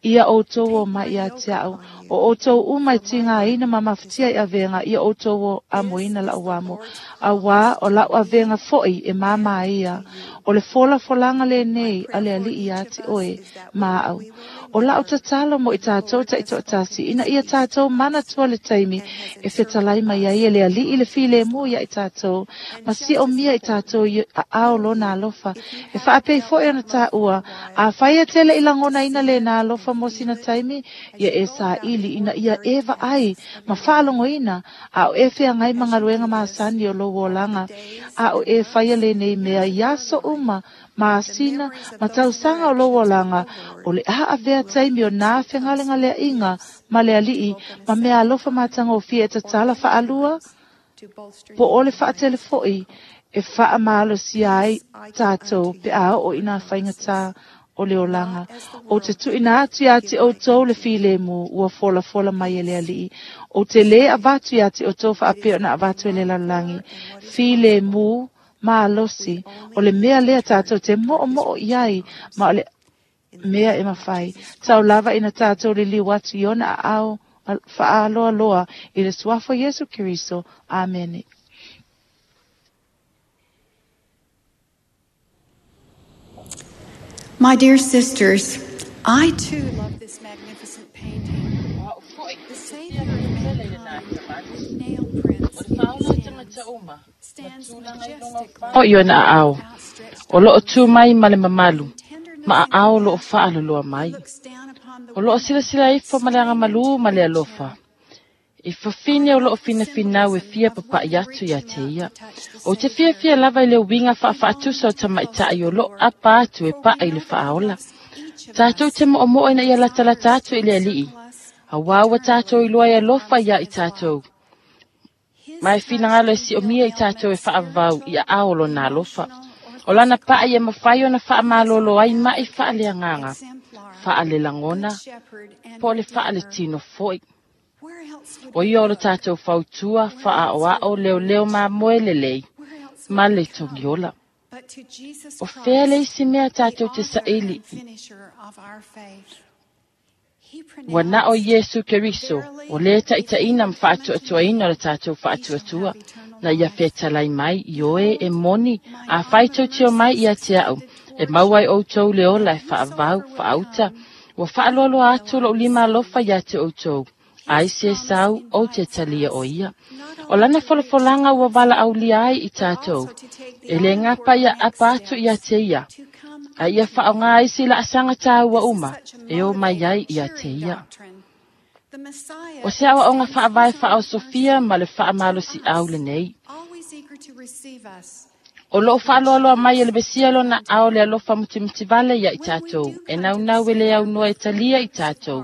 ia o tō o mai ia te au, o o tō umai tinga ina ma mawhitia i awenga, ia o tō o amoina la uamo, a wā o lau awenga foi e māmā ia, o le fola folanga le nei a le ali ia te oe, mā au. O lau tatalo mo i tātou taitoatasi, ina ia tātou mana tua le taimi, e fetalai mai ai e le ali'i le filemu ia i tātou, ma si o mia i tātou i a ao lona alofa, e whaapei foe ona tāua, a whaia tele i langona ina le nā alofa mo sina taimi, ia e sa ili ina ia eva ai, ma whaalongo ina, a o e whea ngai mangaluenga maasani o lo olanga, a o e whaia le nei mea iaso uma, maasina, ma tausanga o lo olanga, o le a avea taimi o nā whengalenga lea inga, ma le ali'i, ma mea alofa mātanga o fia e tatala whaalua, po o le whaatele foi, e whaamalo si ai tātou pe a o ina whaingata o le olanga. O te tuina atu ia te o tau le filemu ua fola fola mai e le ali'i. O te le avatu ia te o tau whaapeo na avatu e le lalangi. Filemu malosi. O le mea lea tātou te mo'o mo'o iai ma o le mea e mawhai. Tau lava ina tātou le liu atu i ona ao whaaloa loa i le suafo Yesu Keriso. Amene. My dear sisters, I too love this magnificent painting. The Savior of mankind, with nail prints in his hands, stands majestically O iona ao. O loo tu mai ma le mamalu. Ma a ao loo whaaloloa mai. O loo sila sila ifo ma le angamalu ma le alofa. I fafine o loo fina finau e fia papai atu ia te ia. O te fia fia lava i le winga whaawhaatusa o tamaitai o loo apa atu e paa i le whaaola. Tātou te mo'o mo'o ina ia latalata atu i le ali'i. A wāua tātou i loa e alofa ia i tātou. Mai finangalo e si o mia i tātou e whaavau i a aolo nā alofa. O lana paa ia mawhai ona whaamalolo ai mai whaale anganga. Whaale langona, po le whaale tino foi. O ia o le tātou fautua, whaa o ao leo leo mā moe lelei, ma le tongiola. O whea le isi mea tātou te saili. Ua na o Yesu Keriso, o le taitaina ma whaatuatuaina o le tātou whaatuatua, na ia whetalai mai i oe e moni, a whaitau teo mai ia te au, e mauai outou le ola e whaavau, whaauta, ua whaaloaloa atu lo lima alofa ia te outou. Ai se sau o te talia o ia. O lana folafolanga ua wala aulia ai i tātou. E le ngapa ia apa atu ia te ia. A ia whaonga ai si la asanga tāua uma. E o mai ai ia te ia. O se awa onga whaavai whaao Sofia ma le whaamalo si au le nei. O loo whaaloaloa mai e le besia lona ao le alofa mutimtivale ia i tātou. E nau nau e le au noa e talia i tātou.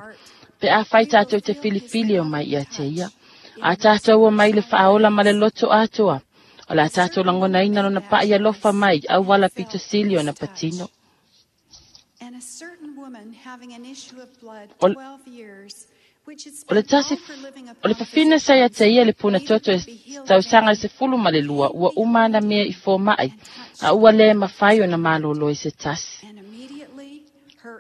Pe a whai tātou te filifili o mai ia te ia. A tātou o mai le whaaola ma le loto atoa. O la tātou langona ina lona pa ia lofa mai au wala pito sili o na patino. O, o le tasi, o le fafina sa ia te ia le puna toto e tausanga se fulu ma le lua ua umana mea i fō mai. A ua le mawhai o na malolo i se tasi.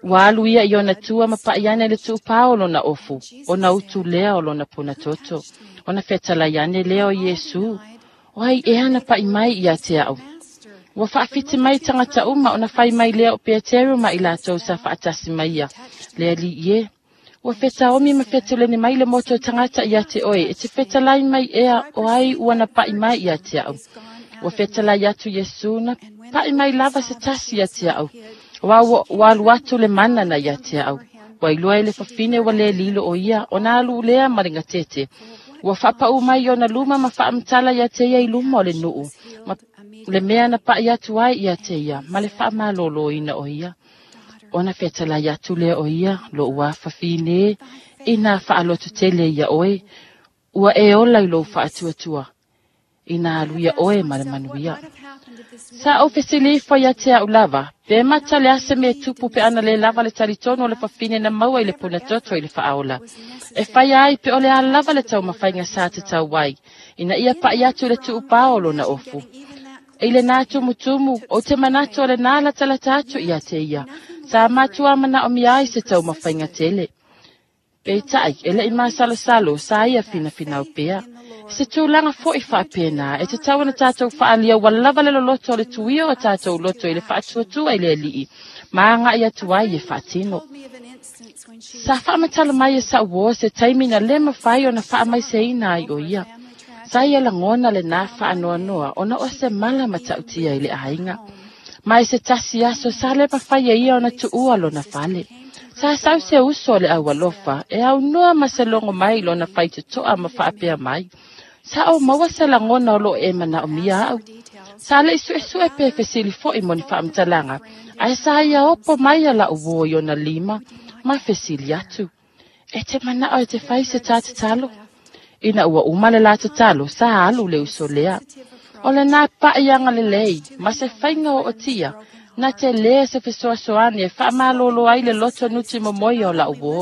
Ua alu ia i ona tua ma paiane le tuupao o lona ofu, o na utu lea o lona puna toto, o na fetalaiane lea o Yesu, o ai e ana pai mai ia te au. Ua whaafiti mai tangata uma o na whai mai lea o Peteru ma i lātou sa whaatasi mai ia, lea li ie. Ua whetaomi ma whetuleni mai le moto tangata ia te oe, e te fetalai mai ea o ai ua na pai mai ia te au. Ua fetalai atu Yesu na pai mai lava se tasi ia te au. Wa walu atu le mana na ia te au. Wa iloa ele fafine wa le lilo o ia, o nā alu lea maringa tete. Ua whapau mai o na luma ma whaamtala ia te ia i luma o le nuu. Ma le mea na pai atu ai ia te ia, ma le whaamalolo ina o ia. O na whetala ia atu lea o ia, lo ua fafine, i nā whaalotu tele ia oe, ua e ola i lo whaatuatua. Ina alu ia oe ma le manuia. Sa o fesili ifo ia te au lava, pe mata le ase me tupu pe ana le lava le talitono o le fafine na maua i le puna toto i le whaaola. E whai ai pe ole a lava le tau mawhainga sa te tau wai, ina ia pai atu le tuupao o lona ofu. E le nā tumutumu, o te manato o le nā latalata atu ia te ia, sa matua mana o mia ai se tau mawhainga tele. Pe tai, e le i masalosalo, sa ia fina finau pea. Se tūlanga foi whaapena, e te tau na tātou whaalia wa lava le loloto o le tuia o tātou loto i le whaatuatua i le alii, maanga ia tuai e whaatino. Sa faamatala mai e sa'u uō se taimi na lē mafai ona faamaiseina ai o ia. Sa ia lagona lenā faanoanoa ona o se mala matautia i le aiga. Ma i se tasi aso sa le mafai e ia ona tuua lona fale. Sa sau se uso o le aualofa e aunoa ma se logo mai lona faitotoa ma faapea mai. Sa o maua se lagona o loo e manaomia au. Sa le'i su'esu'e pe fesili fo'i mo ni faamatalaga, ae sa ia opo mai a la'u uō i ona lima ma fesili atu. E te mana'o e te fai se tā tatalo. Ina ua uma le la tatalo, sa alu le uso lea. O lenā pa'i agalelei, ma se faiga o otia, na te lē se fesoasoani e faamalōlō ai le loto nuti momoia o la'u uō.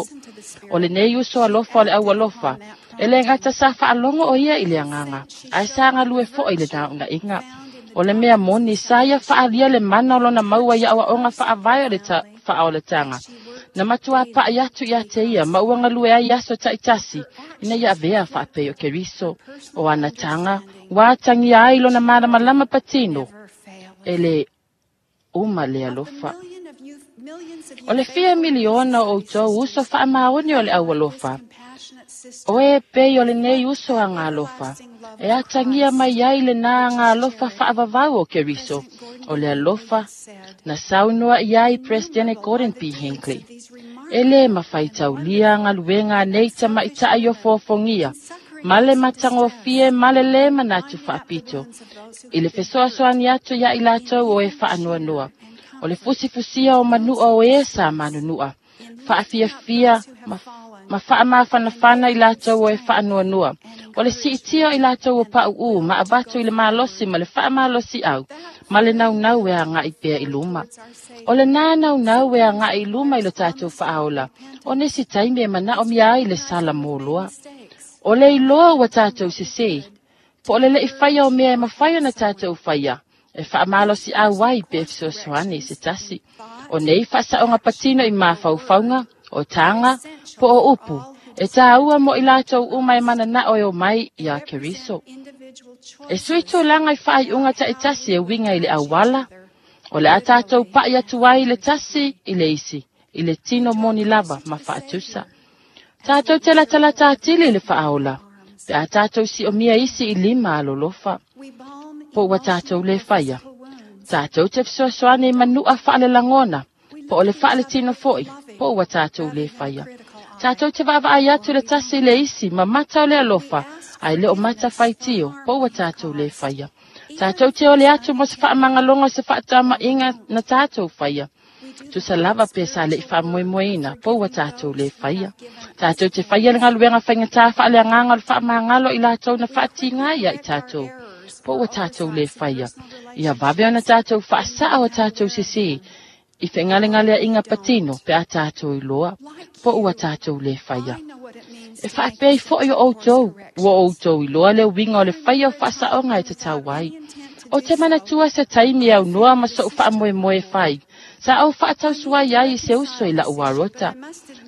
O lenei uso alofa o le aualofa, e lē gata sa faalogo o ia i le agaga, ae sa galue fo'i le nauna'iga. O le mea moni sa ia faalia le mana o lona maua i a'oa'oga faavae o le faaolataga. Na matuā pa'i atu iā te ia ma ua galue ai aso ta'itasi ina ia avea faapei o Keriso. O ana taga ua atagia ai lona malamalama patino e le uma le alofa. O le fia miliona o outou uso faamaoni o le aualofa. O e pei o lenei uso agalofa, e atagia mai ai lenā agalofa faavavau o Keriso, o le alofa na saunoa i ai Presidente Gordon B. Hinckley. E lē mafaitaulia galuega anei tamaita'i o foafogia, ma le matagofie ma le lē manatu faapito, i le fesoasoani atu ia i latou o e faanoanoa. O le fusifusia o manu'a o e sa manunu'a, faafiafia ma ma faamafanafana i latou o e faanoanoa. O le siitia i latou o pa'u'ū ma avatu i le malosi ma le faamalosi'au, ma le naunau e aga'i pea i luma. O lenā naunau e aga'i i luma i lo tatou faaola, o nisi taimi e mana'omia ai le sala moloa. O le iloa ua tatou sesē, po o le le'i faia o mea e mafai ona tatou faia, e faamalosi'au ai pe fesoasoani i se tasi. O nei faasa'oga patino i mafaufauga, o taga, po o upu, e tāua mo i latou uma e manana'o e o mai iā Keriso. E sui tulaga i faaiuga ta'itasi e uiga i le auala, o le a tatou pa'i atu ai i le tasi i le isi, i le tino moni lava ma faatusa. Tatou te latalata atili i le faaola, pe a tatou si'omia isi i lima alolofa. Po ua tatou lē faia. Tatou te fesoasoani i manu'a faalelagona, po o le faaletino fo'i, po ua tatou lē faia. Tatou te vaavaai atu le tasi i le isi ma mata o le alofa, ae le o mata faitio, po ua tatou lē faia. Tatou te ole atu mo se faamagaloga o se faatama'iga na tatou faia. Tusa lava pe sa le'i faamoemoeina, po ua tatou lē faia. Tatou te faia le galuega faigatā faaleagaga o le faamagalo i latou na faatigā ia i tatou, po ua tatou lē faia. Ia vave ona tatou faasa'a o tatou sesē, i fegalegalea'iga patino pe a tatou iloa, po ua tatou lē faia. E faapei fo'i o outou, ua outou iloa le uiga o le faia o faasa'oga e tatau ai. O te manatua se taimi e aunoa ma so'u faamoemoe fai, sa ou faatausuai ai i se uso i la'u arota.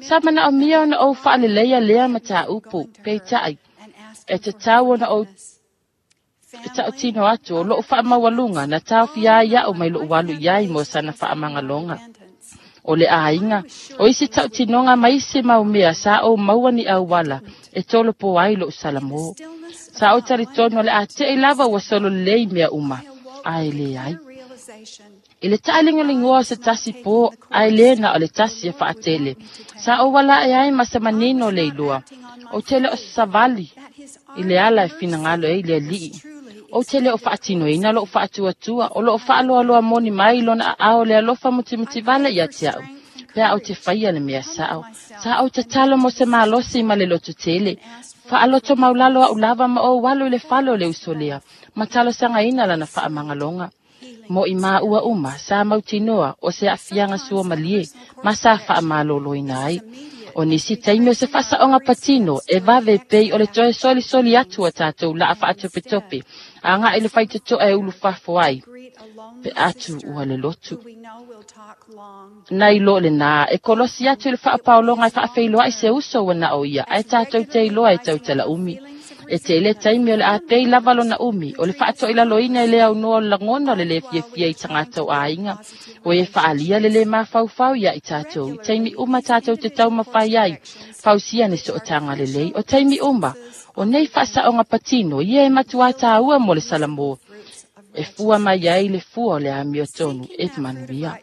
Sa mana'omia ona ou faaleleia lea matāupu, peita'i, e tatau ona ou e ta'utino atu o lo'u faamaualuga na taofia ai a'u mai lo'u alu i ai mo sana faamagaloga. O le aiga, o isi ta'utinoga ma isi mau mea sa ou maua ni auala e tolopo ai lo'u salamō. Sa ou talitonu o le ate'i lava ua solo lelei mea uma, ae lē ai. I le ta'aligoligoa o se tasi pō, ae lē na o le tasi e fa'atele. Sa ou ala'e ai ma se manino le iloa. Ou te le o savali i le ala e finagalo ai le ali'i. Ou te le o faatinoina lo'u faatuatua, o lo'o faaloaloa moni mai lona a'ao le alofa mutimutivale ia te a'u. Pe a ou te faia le mea sa'o. Sa ou tatalo mo se malosi ma le loto tele. Faaloto maulalo a'u lava ma ou alu i le fale o le uso lea, ma talosagaina lana faamagaloga. Mo i maua uma, sa mautinoa o se a'afiaga sua malie, ma sa faamalōlōina ai. O nisi taimi o se faasa'oga patino, e vave pei o le toe solisoli atu a tatou la'a faatopetope, aga'i le faitoto'a e ulufafo ai, pe atu ua le lotu. Na iloa lenā, e kolosi atu i le faapaologa e faafeiloa'i se uso ua na'o ia, ae tatou te iloa e tautala umi. E tele taimi o le apei lava lona umi, o le faatoilaloina i le aunoa o le lagona o le le fiafia i tagata o aiga. O e faalia le le mafaufau ia i tatou, i taimi uma tatou te taumafai ai, fausia ni sootaga lelei, o taimi uma, o nei faasaoga patino, ia e matuā tāua mo le Salamo. E fua mai ai le fua o le amiotonu e manuia.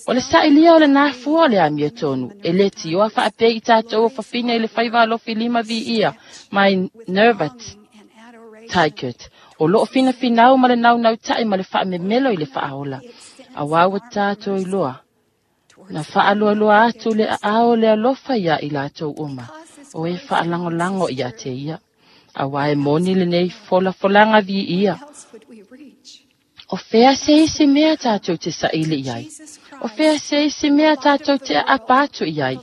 O le sailia o le nā fua o le amiotonu, e le tioa faapei i tatou o fafine i le faiva alofi lima viia mai Nervat Tigert. O loo finafinau ma le naunau ta'i ma le faamemelo i le faaola. Auā ua tatou iloa. Na faalualua atu le aao le alofa ia i latou uma. O e faalagolago ia te ia. Auā e moni lenei folafolaga viia. O fea se isi mea tatou te saili i ai. O fea se isi mea tatou te aapa atu i ai.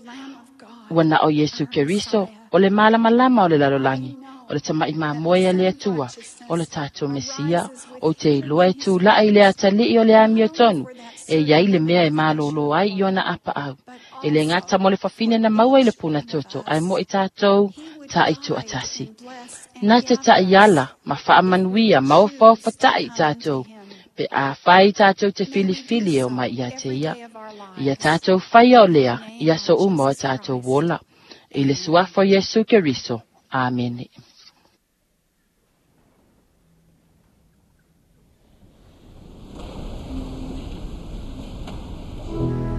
Ua na o Iesu Keriso, o le malamalama o le lalolagi, o le tama'i mamoe a le Atua, o le tatou Mesia, o te iloa e tula'i le atalii o le amiotonu, e iai le mea e malōlō ai i ona apaau. E le gata mo le fafine na maua i le punatoto, ae mo i tatou taʻitoatasi. Na te taʻiala ma faamanuia ma ofaofataʻi i tatou, pe a fai tatou te filifili e o mai ia te ia. Ia tatou faia o lea, i aso uma o tatou ola. I le suafa o Iesu Keriso. Amene. Fair the moonlight.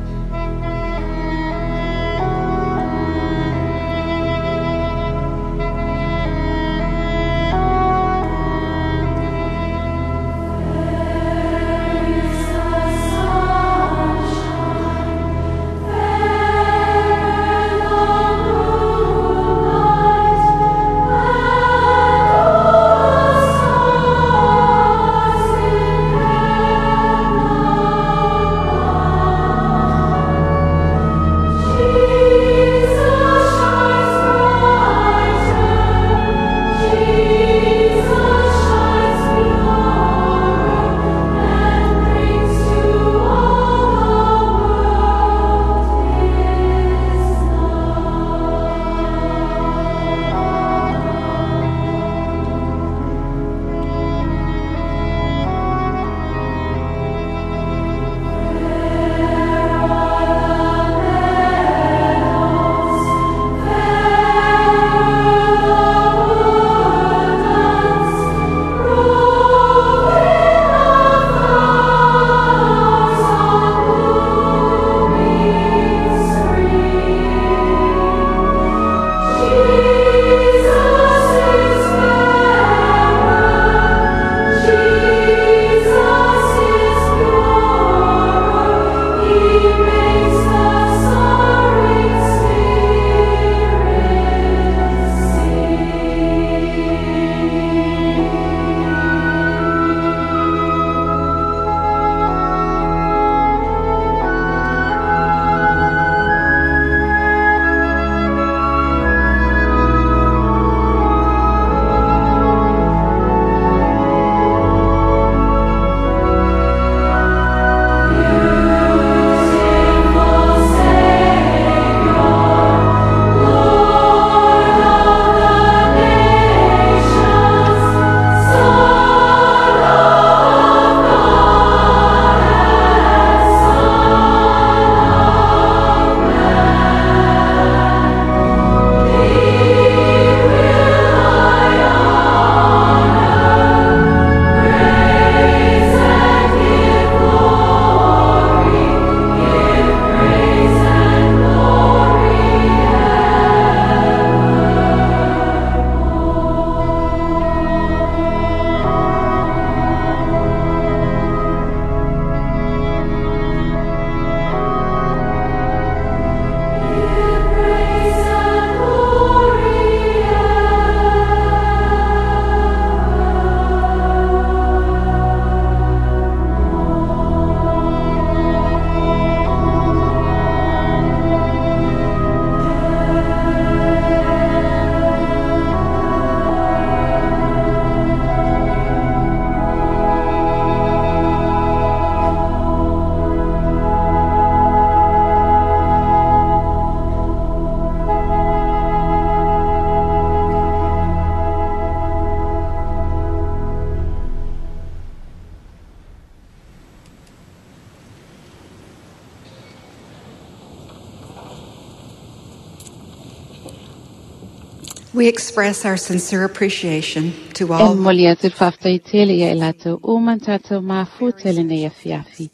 We express our sincere appreciation to E all moli atu le faafetai tele ia i latou uma na tatou mafuta i lenei afiafi.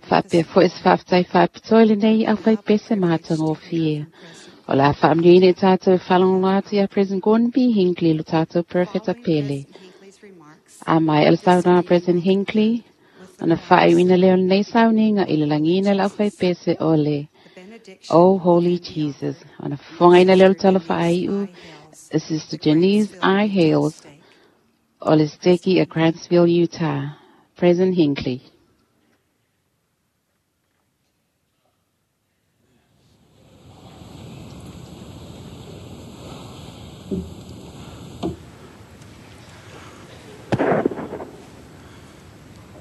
Faapea foi se faafetai faapitoa i lenei aufaipese matagofie. O le a faamanuiaina i tatou e faalogologo atu ia President Gordon B. Hinckley lo tatou Perofeta pele. A mai e le saunoaga President Hinckley, ona faaiuina lea o lenei sauniga i le lagiina le aufaipese o le O Holy Jesus. Ona fofogaina lea o le tala faaiu, Sister Janice I. Hales, o le Steki a Grantsville, Utah. President Hinckley.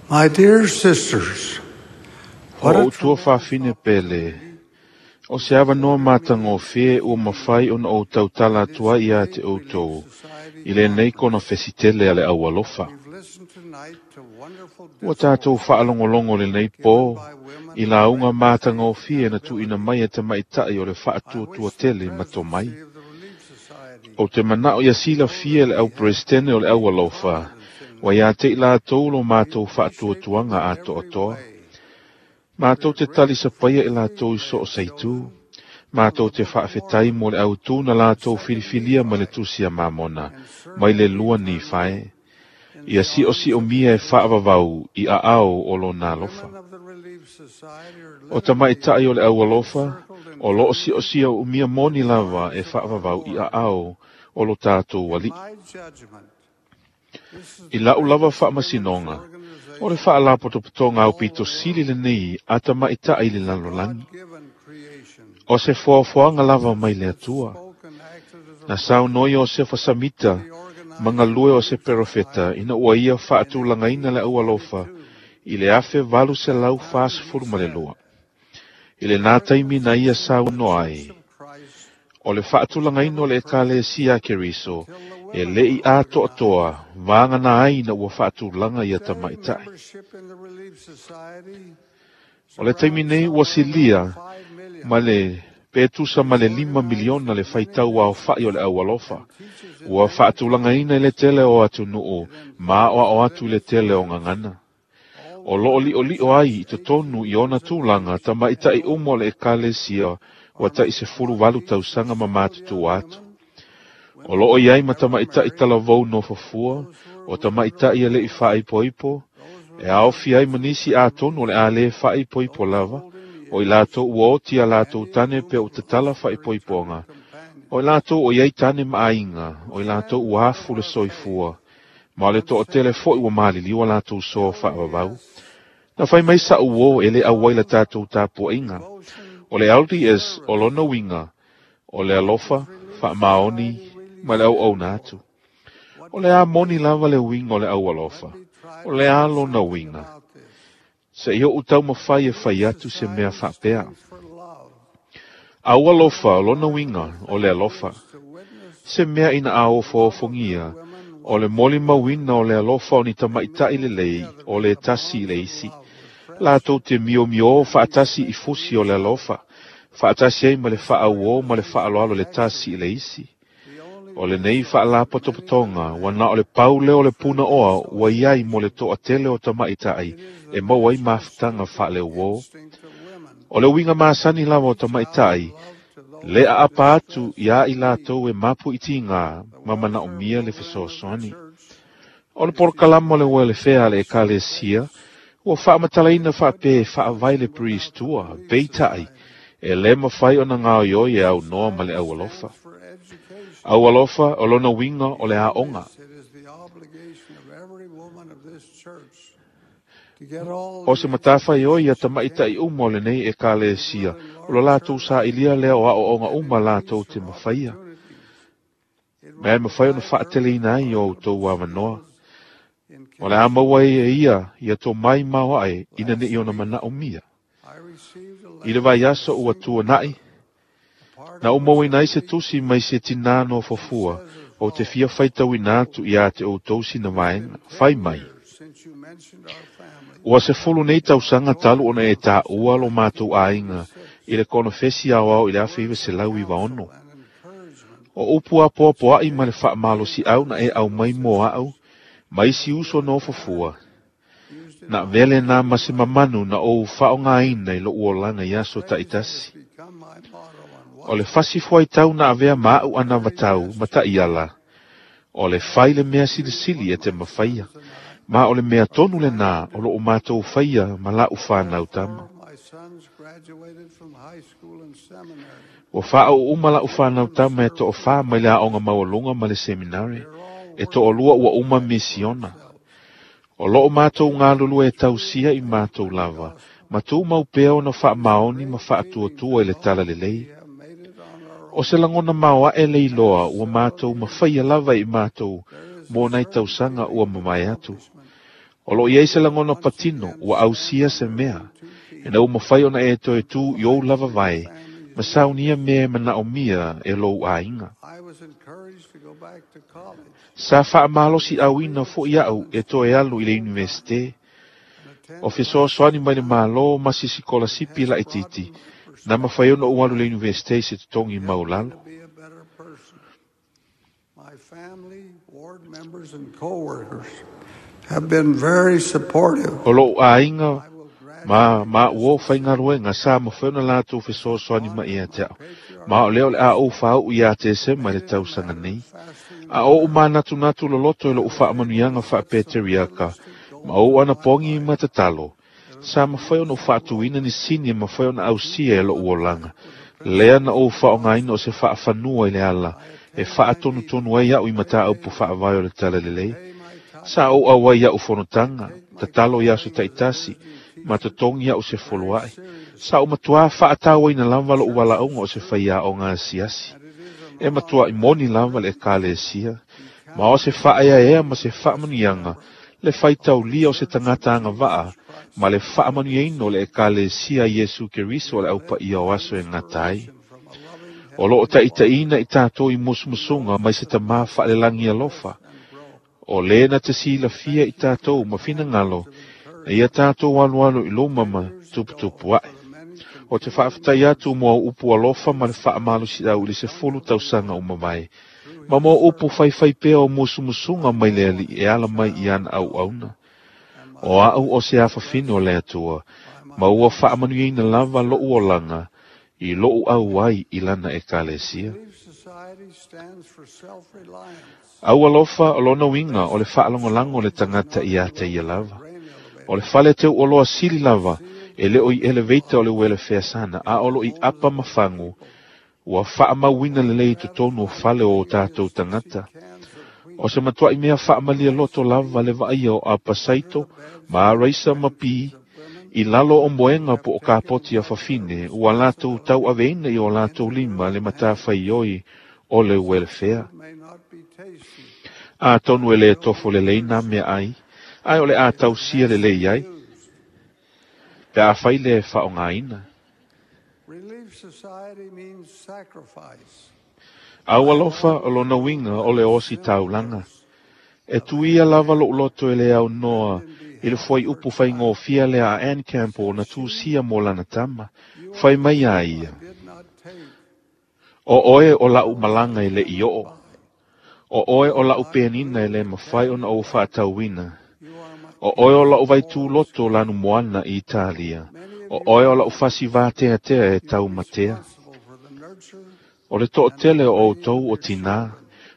My dear sisters, what O a utua faafine pele, o se avanoa matagofie ua mafai ona ou tautala atu ai ia te outou, i lenei konofesitele a le aualofa. Ua tatou faalogologo lenei pō, i lauga matagofie na tuuina mai e tamaitai o le faatuatua tele ma tomai. O te manao ia silafia le au presidente o le aualofa, ua ia te i latou lo matou faatuatuaga atoatoa. Matou te talisapaia i latou i so o se itu. Matou te faafetai mo le autū na latou filifilia ma le tusi a Mamona, mai le lua ni fae. Ia siosiomia e faavavau i aao o lona alofa. O tamaitai o le aualofa, o loo siosia umia moni lava e faavavau i aao o lo tatou alii. I lau lava faamasinoga, o le faalapotopotoga au pito sili lenei a tamaitai i le lalolagi. O se foafoaga lava mai le Atua. Na saunoa Iosefa Samita, ma galue o se perofeta, ina ua ia faatulagaina le aualofa i le afe valu selau fasefulu ma le lua. I lenā taimi na ia saunoa ai, o le faatulagaina o le Ekalesia a Keriso, e le'i atoatoa vagana ai ina ua faatulaga ia tamaitai. O le taimi nei ua silia ma le pe tusa ma le lima miliona le faitau aofa'i o le aualofa. Ua faatulagaina i le tele o atunuu ma aoao atu i le tele o gagana. O loo li'oli'o ai i totonu i ona tulaga tamaitai uma o le Ekalesia ua ta'i sefulu valu tausaga ma matutua atu. O loo iai ma tamaitai talavou nofofua, o tamaitai e le'i faaipoipo, e aofi ai ma nisi atonu o le a lē faaipoipo lava, o i latou ua oti a latou tane pea o tatala faaipoipoga, o i latou o iai tane ma aiga, o i latou ua afu le soifua, ma o le to'atele fo'i ua maliliu a latou soa faavavau. Na fai mai sa'u uō e lē auai la tatou tapua'iga. O le L D S o lona uiga, o le alofa, faamaoni, ma le auauna atu. O le a moni lava le uiga o le aualofa, o le a lona uiga. Se'i o'u taumafai e fai atu se mea faapea. Aualofa o lona uiga o le alofa. Se mea ina a ofoofo-ofogia, o le molimauina o le alofa o ni tamaitai lelei o le tasi i le isi. Latou te miomiō faatasi i fusi o le alofa, faatasi ai ma le faauō ma le faaloalo le tasi i le isi. O lenei faalapotopotoga ua na o le pau lea o le punaoa ua iai mo le to'atele o tamaitai e maua ai mafutaga faaleuō. O le uiga masani lava o tamaitai, le aapa atu iā i latou e mapuitigā ma manaomia le fesoasoani. O le polokalama o le uelefea a le Ekalesia, ua faamatalaina faapea e faavae le priestua, peita'i, e lē mafai ona gaoioi e aunoa ma le aualofa. Aualofa o lona uiga o le aoga. O se matafaioi ia tamaitai uma o lenei Ekalesia, o lo latou sa'ilia lea o aoaoga uma latou te mafaia. Ma e mafai ona faateleina ai o outou avanoa. O le a maua ai e ia ia tomai maoae ina ne'i ona manaomia. I le vaiaso ua tuana'i, na umauina ai se tusi mai se tinā nofofua, o te fia faitauina atu iā te outou sina vaega, fai mai. Ua sefulu nei tausaga talu ona e tāua lo matou aiga i le konofesi aoao i le afe iva selau iva ono. O upu apoapoa'i ma le fa'amalosi'au na e aumai mo a'u, ma isi uso nofofua. Na vele na ma se mamanu na ou fa'aogāina i lo'u olaga i aso ta'itasi. O le fasi fuaitau na avea ma a'u anavatau ma ta'iala, o le fai le mea silisili e te mafaia, ma o le mea tonu lenā o lo'u matou faia ma la'u fanau tama. Ua fa'aʻu uma la'u fanau tama e to'ofā mai le a'oga maualuga ma le seminare, e to'alua ua uma misiona. O lo'o matou galulue e tausia i matou lava, ma tumau pea ona fa'amaoni ma fa'atuatua i le tala lelei. O se lagona maoa'e le iloa ua matou mafaia lava i matou mo nai tausaga ua mamae atu. O lo'o i ai se lagona patino ua ausia se mea, ina ua mafai ona e toe tu i ou lava vae, ma saunia mea e mana'omia e lou aiga. Sa fa'amalosi'auina fo'i a'u e toe alu i le universite. O fesoasoani mai le mālō ma sisi kolasipi la'itiiti, na mafai ona ou alu i le universite i se totogi maulalo. My family, ward members, and co-workers have been very supportive. O lo'u aiga ma ma ua o faigaluega sa mafai ona latou fesoasoani mai ia te a'u, ma o lea o le a ou fāu'u iā Tesema i le tausaga nei. A o'u manatunatu loloto i lo'u fa'amanuiaga fa'apeteriaka, ma ou anapogi ma tatalo, sa mafai ona ou fa'atuina ni sini e mafai ona ausia e lo'u olaga. Lea na ou fa'aogāina o se fa'afanua i le ala, e fa'atonutonu ai a'u i mataupu fa'avae o le tala lelei. Sa ou auai a'u fonotaga, tatalo i aso ta'itasi, ma totogi a'u se foloa'i. Sa ou matuā fa'atauaina lava lo'u vala'auga o se faiaoga asiasi. E matua'i moni lava le ekalesia, ma o se fa'aeaea ma se fa'amanuiaga, le faitaulia o se tagata agava'a, ma le fa'amanuiaina o le ekalesia a Iesu Keriso o le aupaia o aso e gata ai. O lo'o ta'itaʻina i tatou i musumusuga mai se tamā fa'alelagi alofa. O lē na te silafia i tatou ma finagalo, na ia tatou alualu i luma ma tuputupu aʻe. O te fa'afetai atu mo au upu alofa ma le fa'amalosi'au i le sefulu tausaga uma mai. Ma mo upu faifai pea o musumusuga mai le ali'i e ala mai i ana auauna. O a'u o se afafine o le Atua, ma ua fa'amanuiaina lava lo'u olaga i lo'u auai i lana ekalesia. Au alofa o lona uiga o le fa'alagolago o le tagata iā te ia lava. O le fale teu'oloa sili lava, e le o i elevator o le uele feasana, a o lo'o i apa ma fagu, ua fa'amauina lelei i totonu o fale o o tatou tagata. O se matua'i mea fa'amalia loto lava le va'aia o apa saito, ma araisa ma pi, i lalo o moega po o kapoti a fafine, ua latou tau'aveina i o latou lima le matafaioi o le uelefea. Atonu e lē tofo lelei nā meaai, ae o le a tausia lelei ai, pe afai le fa'aogāina. Relief Society means sacrifice. Au alofa o lona uiga o le osi taulaga. E tuia lava lo'u loto e le aunoa i le fuaiupu faigofia lea a Ann Campbell na tusia mo lana tama, fai mai a ia. O oe o la'u malaga e le'i o'o. O oe o la'u penina e lē mafai ona ou fa'atauina. O oe o la'u vaitūloto lanu moana i Italia. O oe o la'u fasi vateatea e taumatea. O le to'atele o outou o tinā,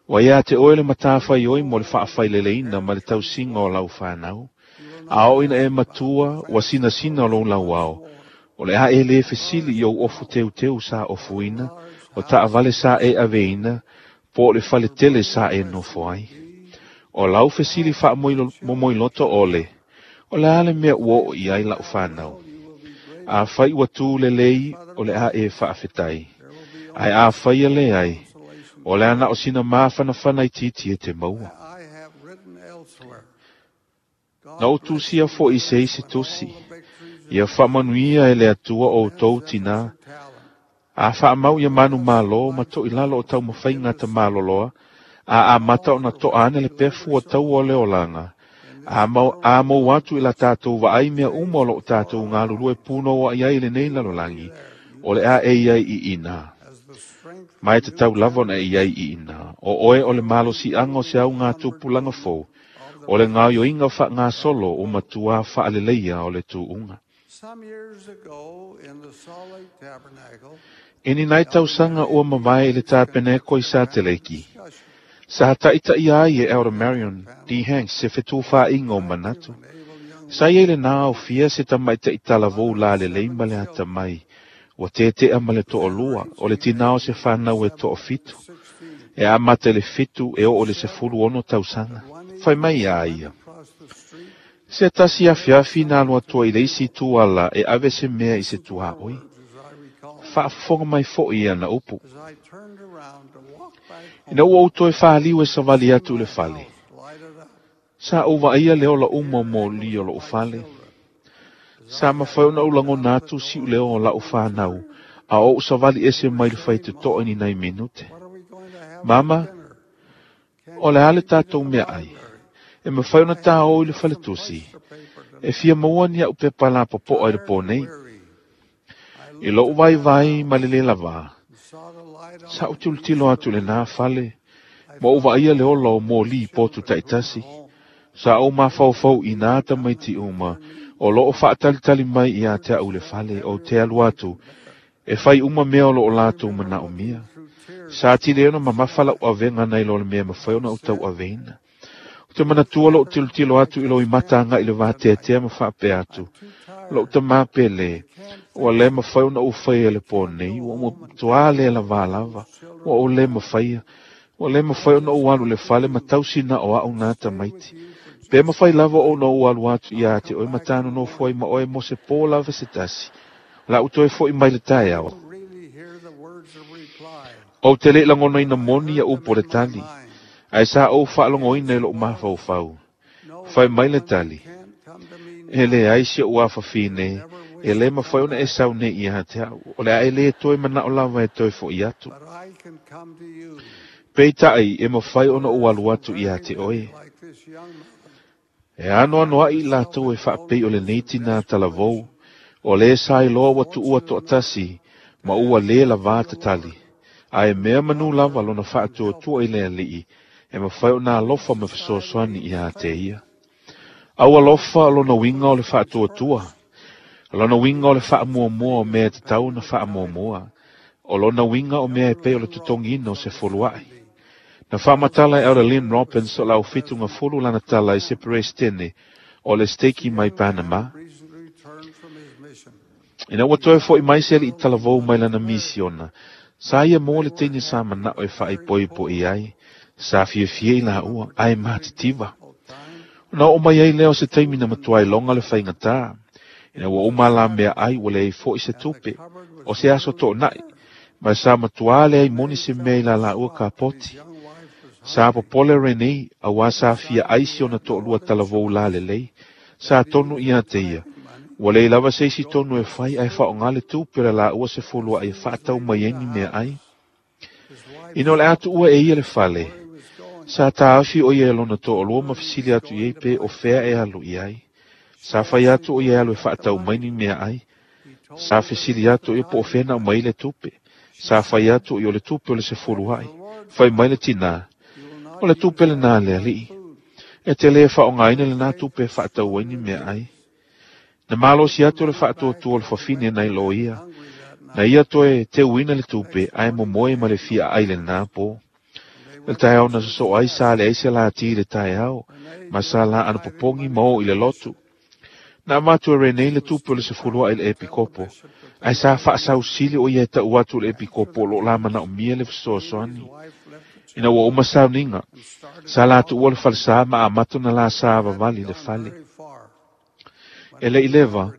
ua iā te oe le matafaioi mo le fa'afaileleina ma le tausiga o lau fanau. A oo ina e matua, ua sinasina o lou lauao. O le a e lē fesili i ou ofu teuteu sa ofuina, o ta'avale sa e aveina, po o le faletele sa e nofo ai. O lau fesili fa'amomoiloto ole, o le a le mea ua oo i ai la'u fanau. Afai ua tū lelei, o le a e fa'afetai. Ae afaia le ai, o le ana o sina mafanafana itiiti e te maua. I have written elsewhere. Na ou tusia fo'i se isi tusi, ia fa'amanuia e le Atua outou tinā, a fa'amau ia manu mālō ma to'i lalo o taumafaiga tamaloloa, a amata ona to'a ane le pefu o taua o le olaga, a mau, a mou atu i la tatou va'ai mea uma o lo'o tatou galulue punoua'i ai i lenei lalolagi, o le a e iai i inā. Mai te tau lava ona e iai i ina. O oe o le malosiaga o se au ngā tupulaga fou. O le gaoioiga faagasolo o matua faaleleia o le tuuga. I ni nai tausaga ua mavae i le tapeneko i Sateleki. Sa taitaia ai e Elder Marion D. Hanks se fetufaaiga o manatu. Sa ia i lenā aofia se tamaitaʻi talavou lalelei ma le atamai. Ua tetea ma le toalua o le tinā o se fanau e toafitu. E amata i le fitu e oo i le sefulu ono tausaga. Fai mai iā ia. Se tasi afiafi na alu atua i le isi itu ala e ave se mea i se tuaoi. Faafofoga mai foʻi ia na upu. Ina ua ou toe faliu e savali atu i le fale. Sa ou vaaia le ola uma o moli o lou fale. Sa mafai ona ou lagona atu siu leo o lau whanau, a ou savali ese mai le whai te toa ni nai minute. Mama, o le ale tātou mea ai. E mawhai ona tā o i le fale tusi. E fia maua ni au pepa la popoa i le pō nei. I lou vai vai ma le le lava. Sa ou tilotilo atu le nā fale. Ma ou vaaia le ola o moli potu taitasi. Sa ou mafaufau i nā tamaiti uma. O loo faatalitali mai ia te au le fale o te alu atu. E fai uma mea o loo lātou manao mia. Sa tile ona mamafa lau avenga nei lo le mea mawhai ona o tau aveina. O te manatua loo tilotilo atu i lo i matanga i le vāteatea ma whaapea atu. Loo te māpele. Ua le mawhai ona u whai le pō nei. Ua mua toa le la vā lava. Ua o le mawhaia. Ua le mawhai ona u alu le fale ma tausina o au ngā tamaiti. Pe mawhai lava o na u alu atu ia te oe matano no foi ma oe mo se pō lava se tasi. La u toe foi mai le tae ao. O te le langona ina moni ia upo le tali. Ai sa ou whaalongoina i loo mafaufau. Whai mai le tali. E le ai si o awhawhine. E le mawhai ona e sau nei ia te au. O le ae le toe mana o lava e toe fo i atu. Peitai e mawhai ona o alu atu ia te oe. E ano ano ai lātou e whaapei o le neiti nā talavou. O le sai loa watu ua toatasi ma ua le la vā tatali. A e mea manu lava lona whaatua tua i le alii. E mawhai o nā lofa me whasoasoani i a te ia. Aua lofa lona winga o le whaatua tua. Lona winga o le whaamuamua o mea te tau na whaamuamua. O lona winga o mea e pei o le tutongina o se foluai. Na whaamatala e Elder Lynn Robbins o lau whitunga fulu lana tala i se perestene o le steki mai Panama. Ina ua toe foi mai se ali i talavou mai lana misiona. Sa ia mō le teine sa manao e whaaipoipo i ai. Sa fiafia i la ua, ai mātitiva. Na o mai ai leo se taimi na matua i longa le whaingatā. Ina ua uma la mea ai ua le ai foi se tupe. O se aso tō nai. Ma sa matua le ai moni se mea i la la ua ka poti. Sa popole Renee, a wā sa fia aisi ona tō lua talavou la lelei. Sa tonu ia te ia. Ua lei lava se isi tonu e whai ai whaonga le tupe la la ua se fulua ai whaatau mai eni mea ai. Ina o le atu ua e ia le fale. Sa tāafi o ia e lona tō lua ma fisili atu i ei pe o fea e alu i ai. Sa whai atu o ia e alu e whaatau mai ni mea ai. Sa fisili atu i po o fea na mai le tupe. Sa whai atu i o le tupe o le se fulua ai. Whai mai le tinā. O le tupe le nā le alii. E te le whaongaina le nā tupe e whaatau ai ni mea ai. Na malosi atu le whaatuatua o le whawhine nei lo ia. Na ia toe te uina le tupe ai momoe ma le fia ai le nā pō. Le tae au na soso ai sa le aise la ti le tae au. Ma sa la ana popongi mao i le lotu. Na matu e Renee le tupe o le sefulua i le epikopo. Ai sa whaasausili o ia e tau atu le epikopo lo la mana o mia le whasoasoani. Ina ua uma sauninga. Sa la atu ua le falsa ma amato na la sa vavali le fale. E le ileva,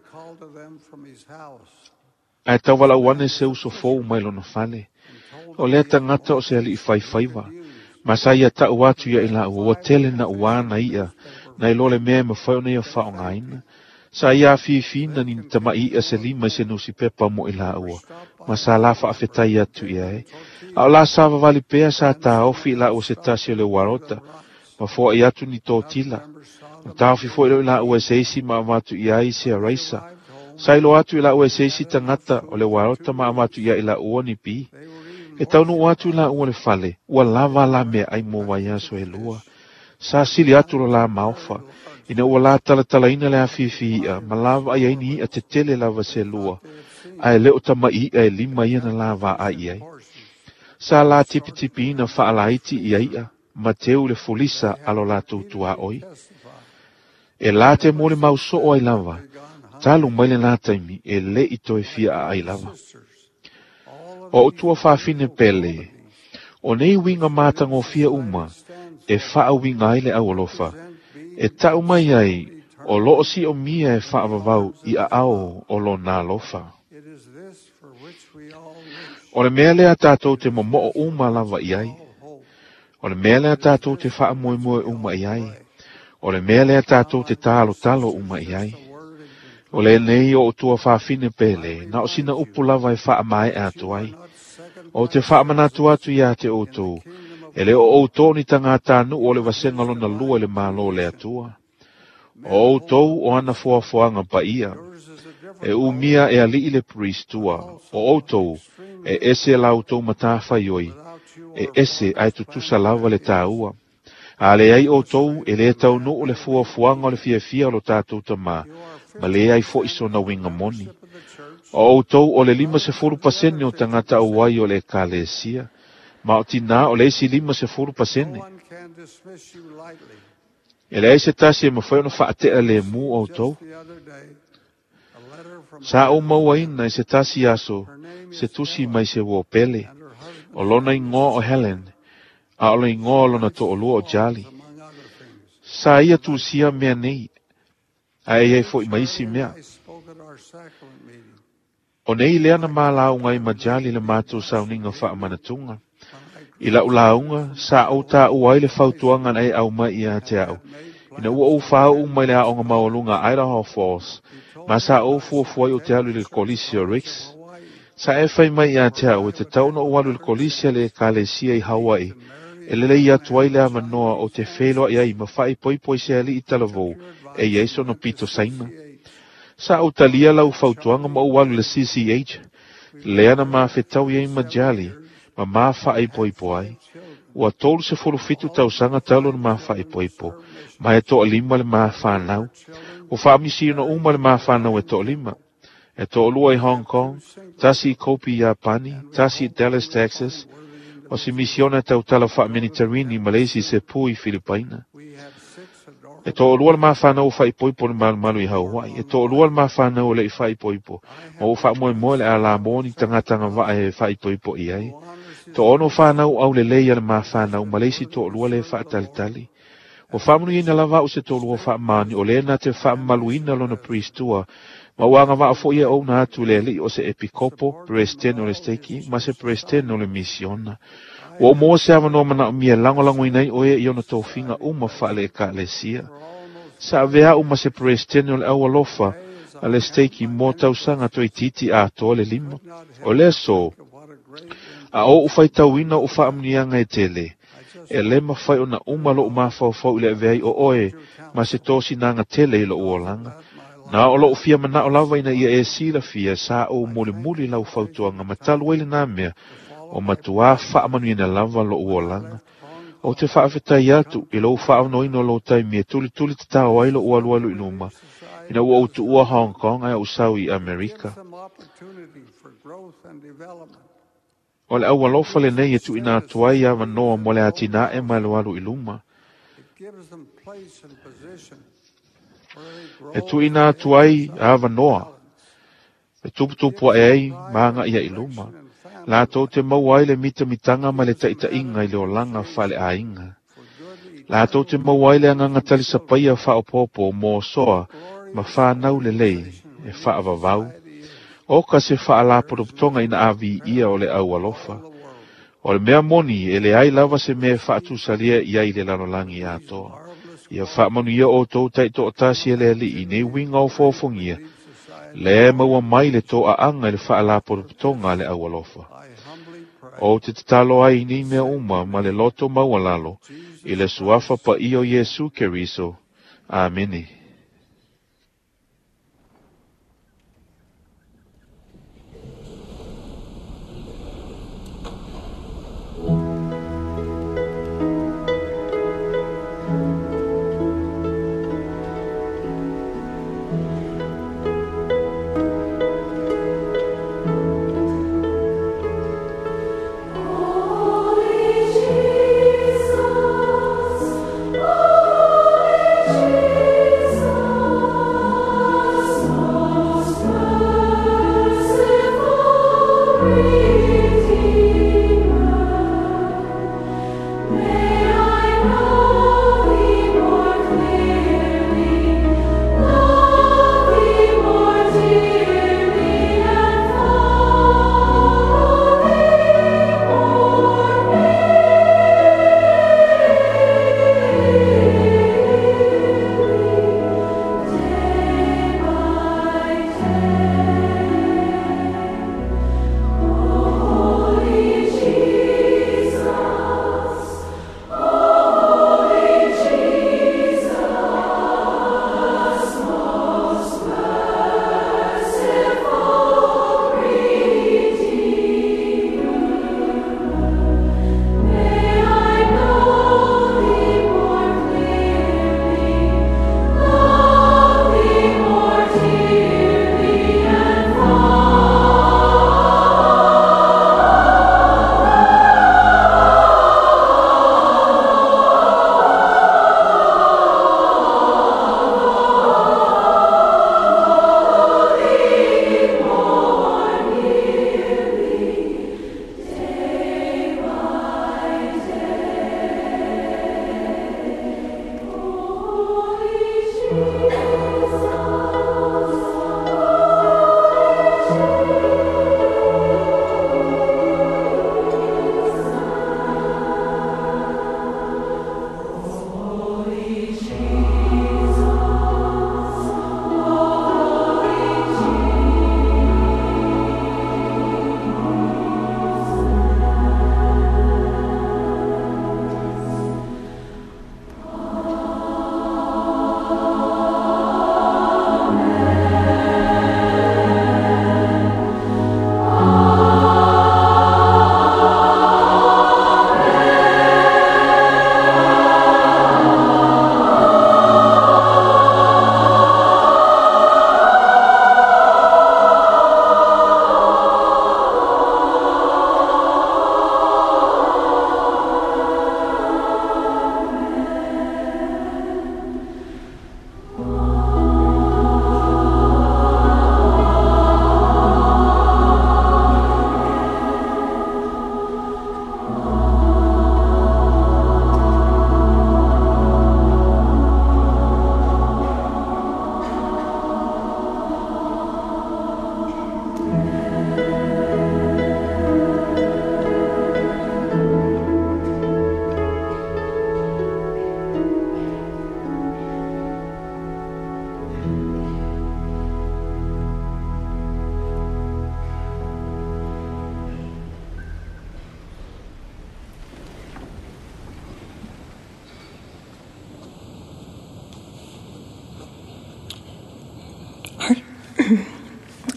ai tauwala uane se uso fou mai lona fale. O lea tangata o se ali i whaiwhaiwa. Ma sa ia tau atu ia i la ua tele na uana ia, na i lole mea mawhai ona ia whaongaina. Sa ia whiwhina ni tamai ia se lima i se nusi pepa mo i la ua. Ma sa la whaafetai atu ia e. A o la sa vavali pea sa tāofi i la ua se tasi o le warota. Ma foa i atu ni tō tila. Na tāofi foi lo i la ua se isi ma amatu ia i se araisa. Sa ilo atu i la ua se isi tangata o le warota ma amatu ia i la ua ni pi. E taunuu atu i laua le fale, ua lava la meaai mo vaiaso e lua. Sa sili atu lo la maofa, ina ua la talatalaina le afifi i'a, ma la vaai ai ni i'a tetele lava se lua, ae le o tama'i i'a e lima ia na la vaai i ai. Sa la tipitipiina faalaiti ia i'a, ma teu le fulisa a lo latou tuaoi. E la te mo le mau soo ai lava, talu mai le nā taimi e le i toe fia a ai lava. O utua whawhine pele, o nei winga mātangofia uma, e whaawinga ai le aualofa, e tau mai ai o loo si o mia e whaawawau i a ao o lo nā lofa. O le mea lea tātou te momoo uma lava i ai. O le mea lea tātou te whaamoemoe uma i ai. O le mea lea tātou te talo talo uma i ai. O le nei o utua whawhine pele, na o sina upu lava e whaamae atu ai. O te whaamanatu atu ia te outou, e le o outou ni tangata nu o le vasenga lona lua le malo le atua. O outou o ana foafoaga paia, e umia e ali'i le priestua, o outou e ese la outou matafaioi, e ese ae tutusa lava le tāua. A le ai outou e le taunuu le fuafuaga o le fiafia o lo tatou tamā, ma le ai fo'i sona uiga moni. O outou o le lima sefulu pasene o tagata auai o le ekalesia, ma o tinā o le isi lima sefulu pasene. E leai se tasi e mafai ona faate'a lemu outou. Sa ou mauaina i se tasi aso, se tusi mai se uo pele, o lona igoa o Helen, a o le igoa o lona to'olua o Jali. Sa ia tusia mea nei, ae ai fo'i ma isi mea. O nei lea na malauga i ma Jali le matou sauniga faamanatuga. I la'u lauga, sa ou tāua ai le fautuaga na e aumai ia te a'u, ina ua ou fāu'u mai le aoga maualuga Idaho Falls, ma sa ou fuafua ai o te alu i le kolisi o Ricks. Sa e fai mai ia te a'u e tatau ona ou alu i le kolisi a le ekalesia i Hawaii, e lelei atu ai le avanoa o te feloa'i ai ma faaipoipo i se ali'i talavou e iai sona pito saina. Sa ou talia lau fautuaga ma ou alu i le C C H, lea na mafetau ai ma Jali, ma mafaaipoipo ai. Ua tolu sefulu fitu tausaga talu na mafaaipoipo, ma e to'alima le mafanau. Ua faamisina uma le mafanau e to'alima. E to'alua i Hong Kong, tasi i Kobe Iapani, tasi i Dallas, Texas, o se misiona tautala faamenitarini ma le isi se pu i Filipaina. E to'alua le mafanau o faaipoipo le malumalu i Hawaii, e to'alua le mafanau o le i faaipoipo, ma ua faamoemoe le alamo ni tagataga vaa e faaipoipo i ai. To'ono whanau au le lei a le mafanau, ma le isi to'alua le faatalitali. Ua faamanuiaina lava a'u se to'alua faamani, o lē na te faamamaluina lona priestua, ma ua agava'a fo'i e ouna atu le ali'i o se epikopo, president o le steki, ma se president o le misiona. Ua ou maua se avanoa manaʻomia e lagolagoina ai oe i ona tofiga uma faale ekalesia. Sa avea'u ma se president o le aualofa a le steki mo tausaga toeitiiti atoa le lima. O le aso, a ou faitauina o faamanuiaga e tele, e le mafai ona uma lo'u mafaufau i le aveai o oe ma se tosinaga tele i lo'u olaga. Na o lo'u fia mana'o lava ina ia e silafia sa ou mulimuli lau fautuaga ma talu ai lenā mea o matuā faamanuiaina lava lo'u olaga. O te faafetai atu i lou faaonoina o lou taimi e tulituli tatao ai lo'u alualu i luma, ina ua ou tuua Hong Kong ae ou sau i Amerika. O le aualofa lenei e tuuina atu ai avanoa mo le atina'e ma le alu i luma. E tuuina atu ai avanoa e tuputupu ae ai ma aga'i ai i luma. Latou te maua ai le mitamitaga ma le taʻitaʻiga i le olaga faaleaiga. Latou te maua ai le agaga talisapaia faaopoopo mo osoa ma fanau lelei e faavavau. O ka se faalapotopotoga ina aviia o le aualofa. O le mea moni e leai lava se mea e faatusalia i ai le lalolagi atoa. Ia faamanuia outou taitoatasi e le ali'i nei uiga o foafogia, le maua mai le to'aaga i le faalapotopotoga a le aualofa. O te tatalo ai nei mea uma ma le loto maualalo i le suafa paia o Iesu Keriso. Amene.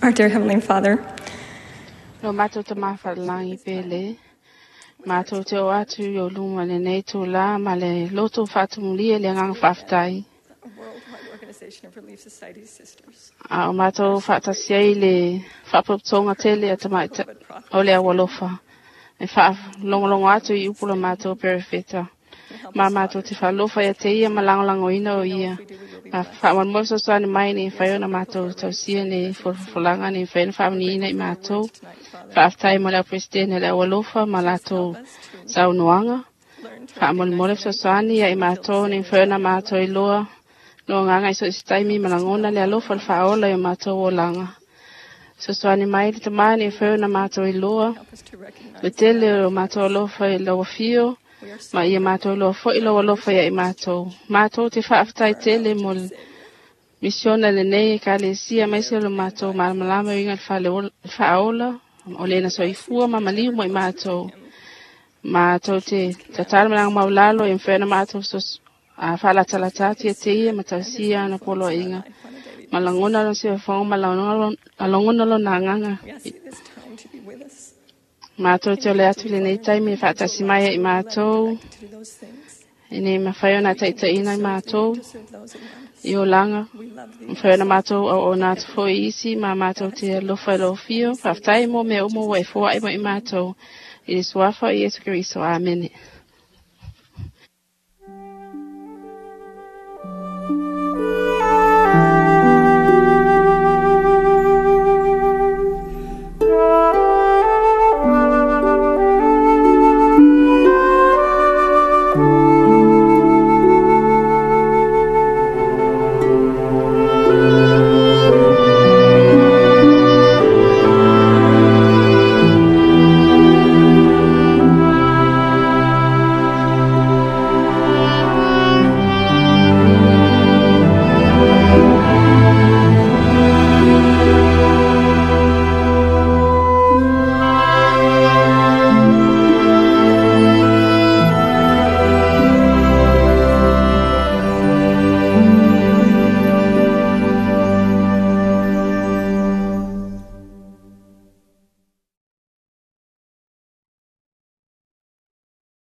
Our dear Heavenly Father, Lo mātou te mawhalalangi pele. Mātou te o atu i o luma le nei tō la ma le loto whātumulia le nganga whaftai. Organization of Relief Society Sisters. A o mātou whaatasi ai le whaapoptonga tele a tamaita o le awalofa. E whaalongolongo atu i upula mātou perefeta. Ma mātou te whaalofa ia te ia ma langolango ina o ia. Ma whaamanmoe sosani mai ni whaiona mātou tausia ni fulfulanga ni whaina whaamani ina i mātou. Whaaftai mo leo presidente le awalofa ma lātou saunoanga. Whaamolemole sosani ia i mātou ni whaiona mātou i loa. No nganga i so isi taimi malangona le alofa le whaola i o mātou o langa. Sosani mai le tamani e whaina mātou i loa. Le tele o mātou alofa i laua fio. Ma ia mātou loa foi loa alofa ia i mātou. Mātou te whaaftai tele mo le misiona le nei e ka le sia mai se lo mātou malamalama inga le whaola. O le na soifua ma maliu mo i mātou. Mātou te tatala malanga maulalo e mwhena mātou sos a whaalatalata tia te ia matausia na polo inga. Malangona lo se whonga malangona lo nā nganga. Mātou te ole atu le nei taimi e whaatasi mai i mātou. E nei mawhai o nā taita ina i mātou. I o langa. Mawhai o nā mātou au o nā tufo i isi. Ma mātou te alofa i lo fio. Whaftai mō mea umo wa e fua i mo i mātou. I le suafa i Yesu Kristo. Amene.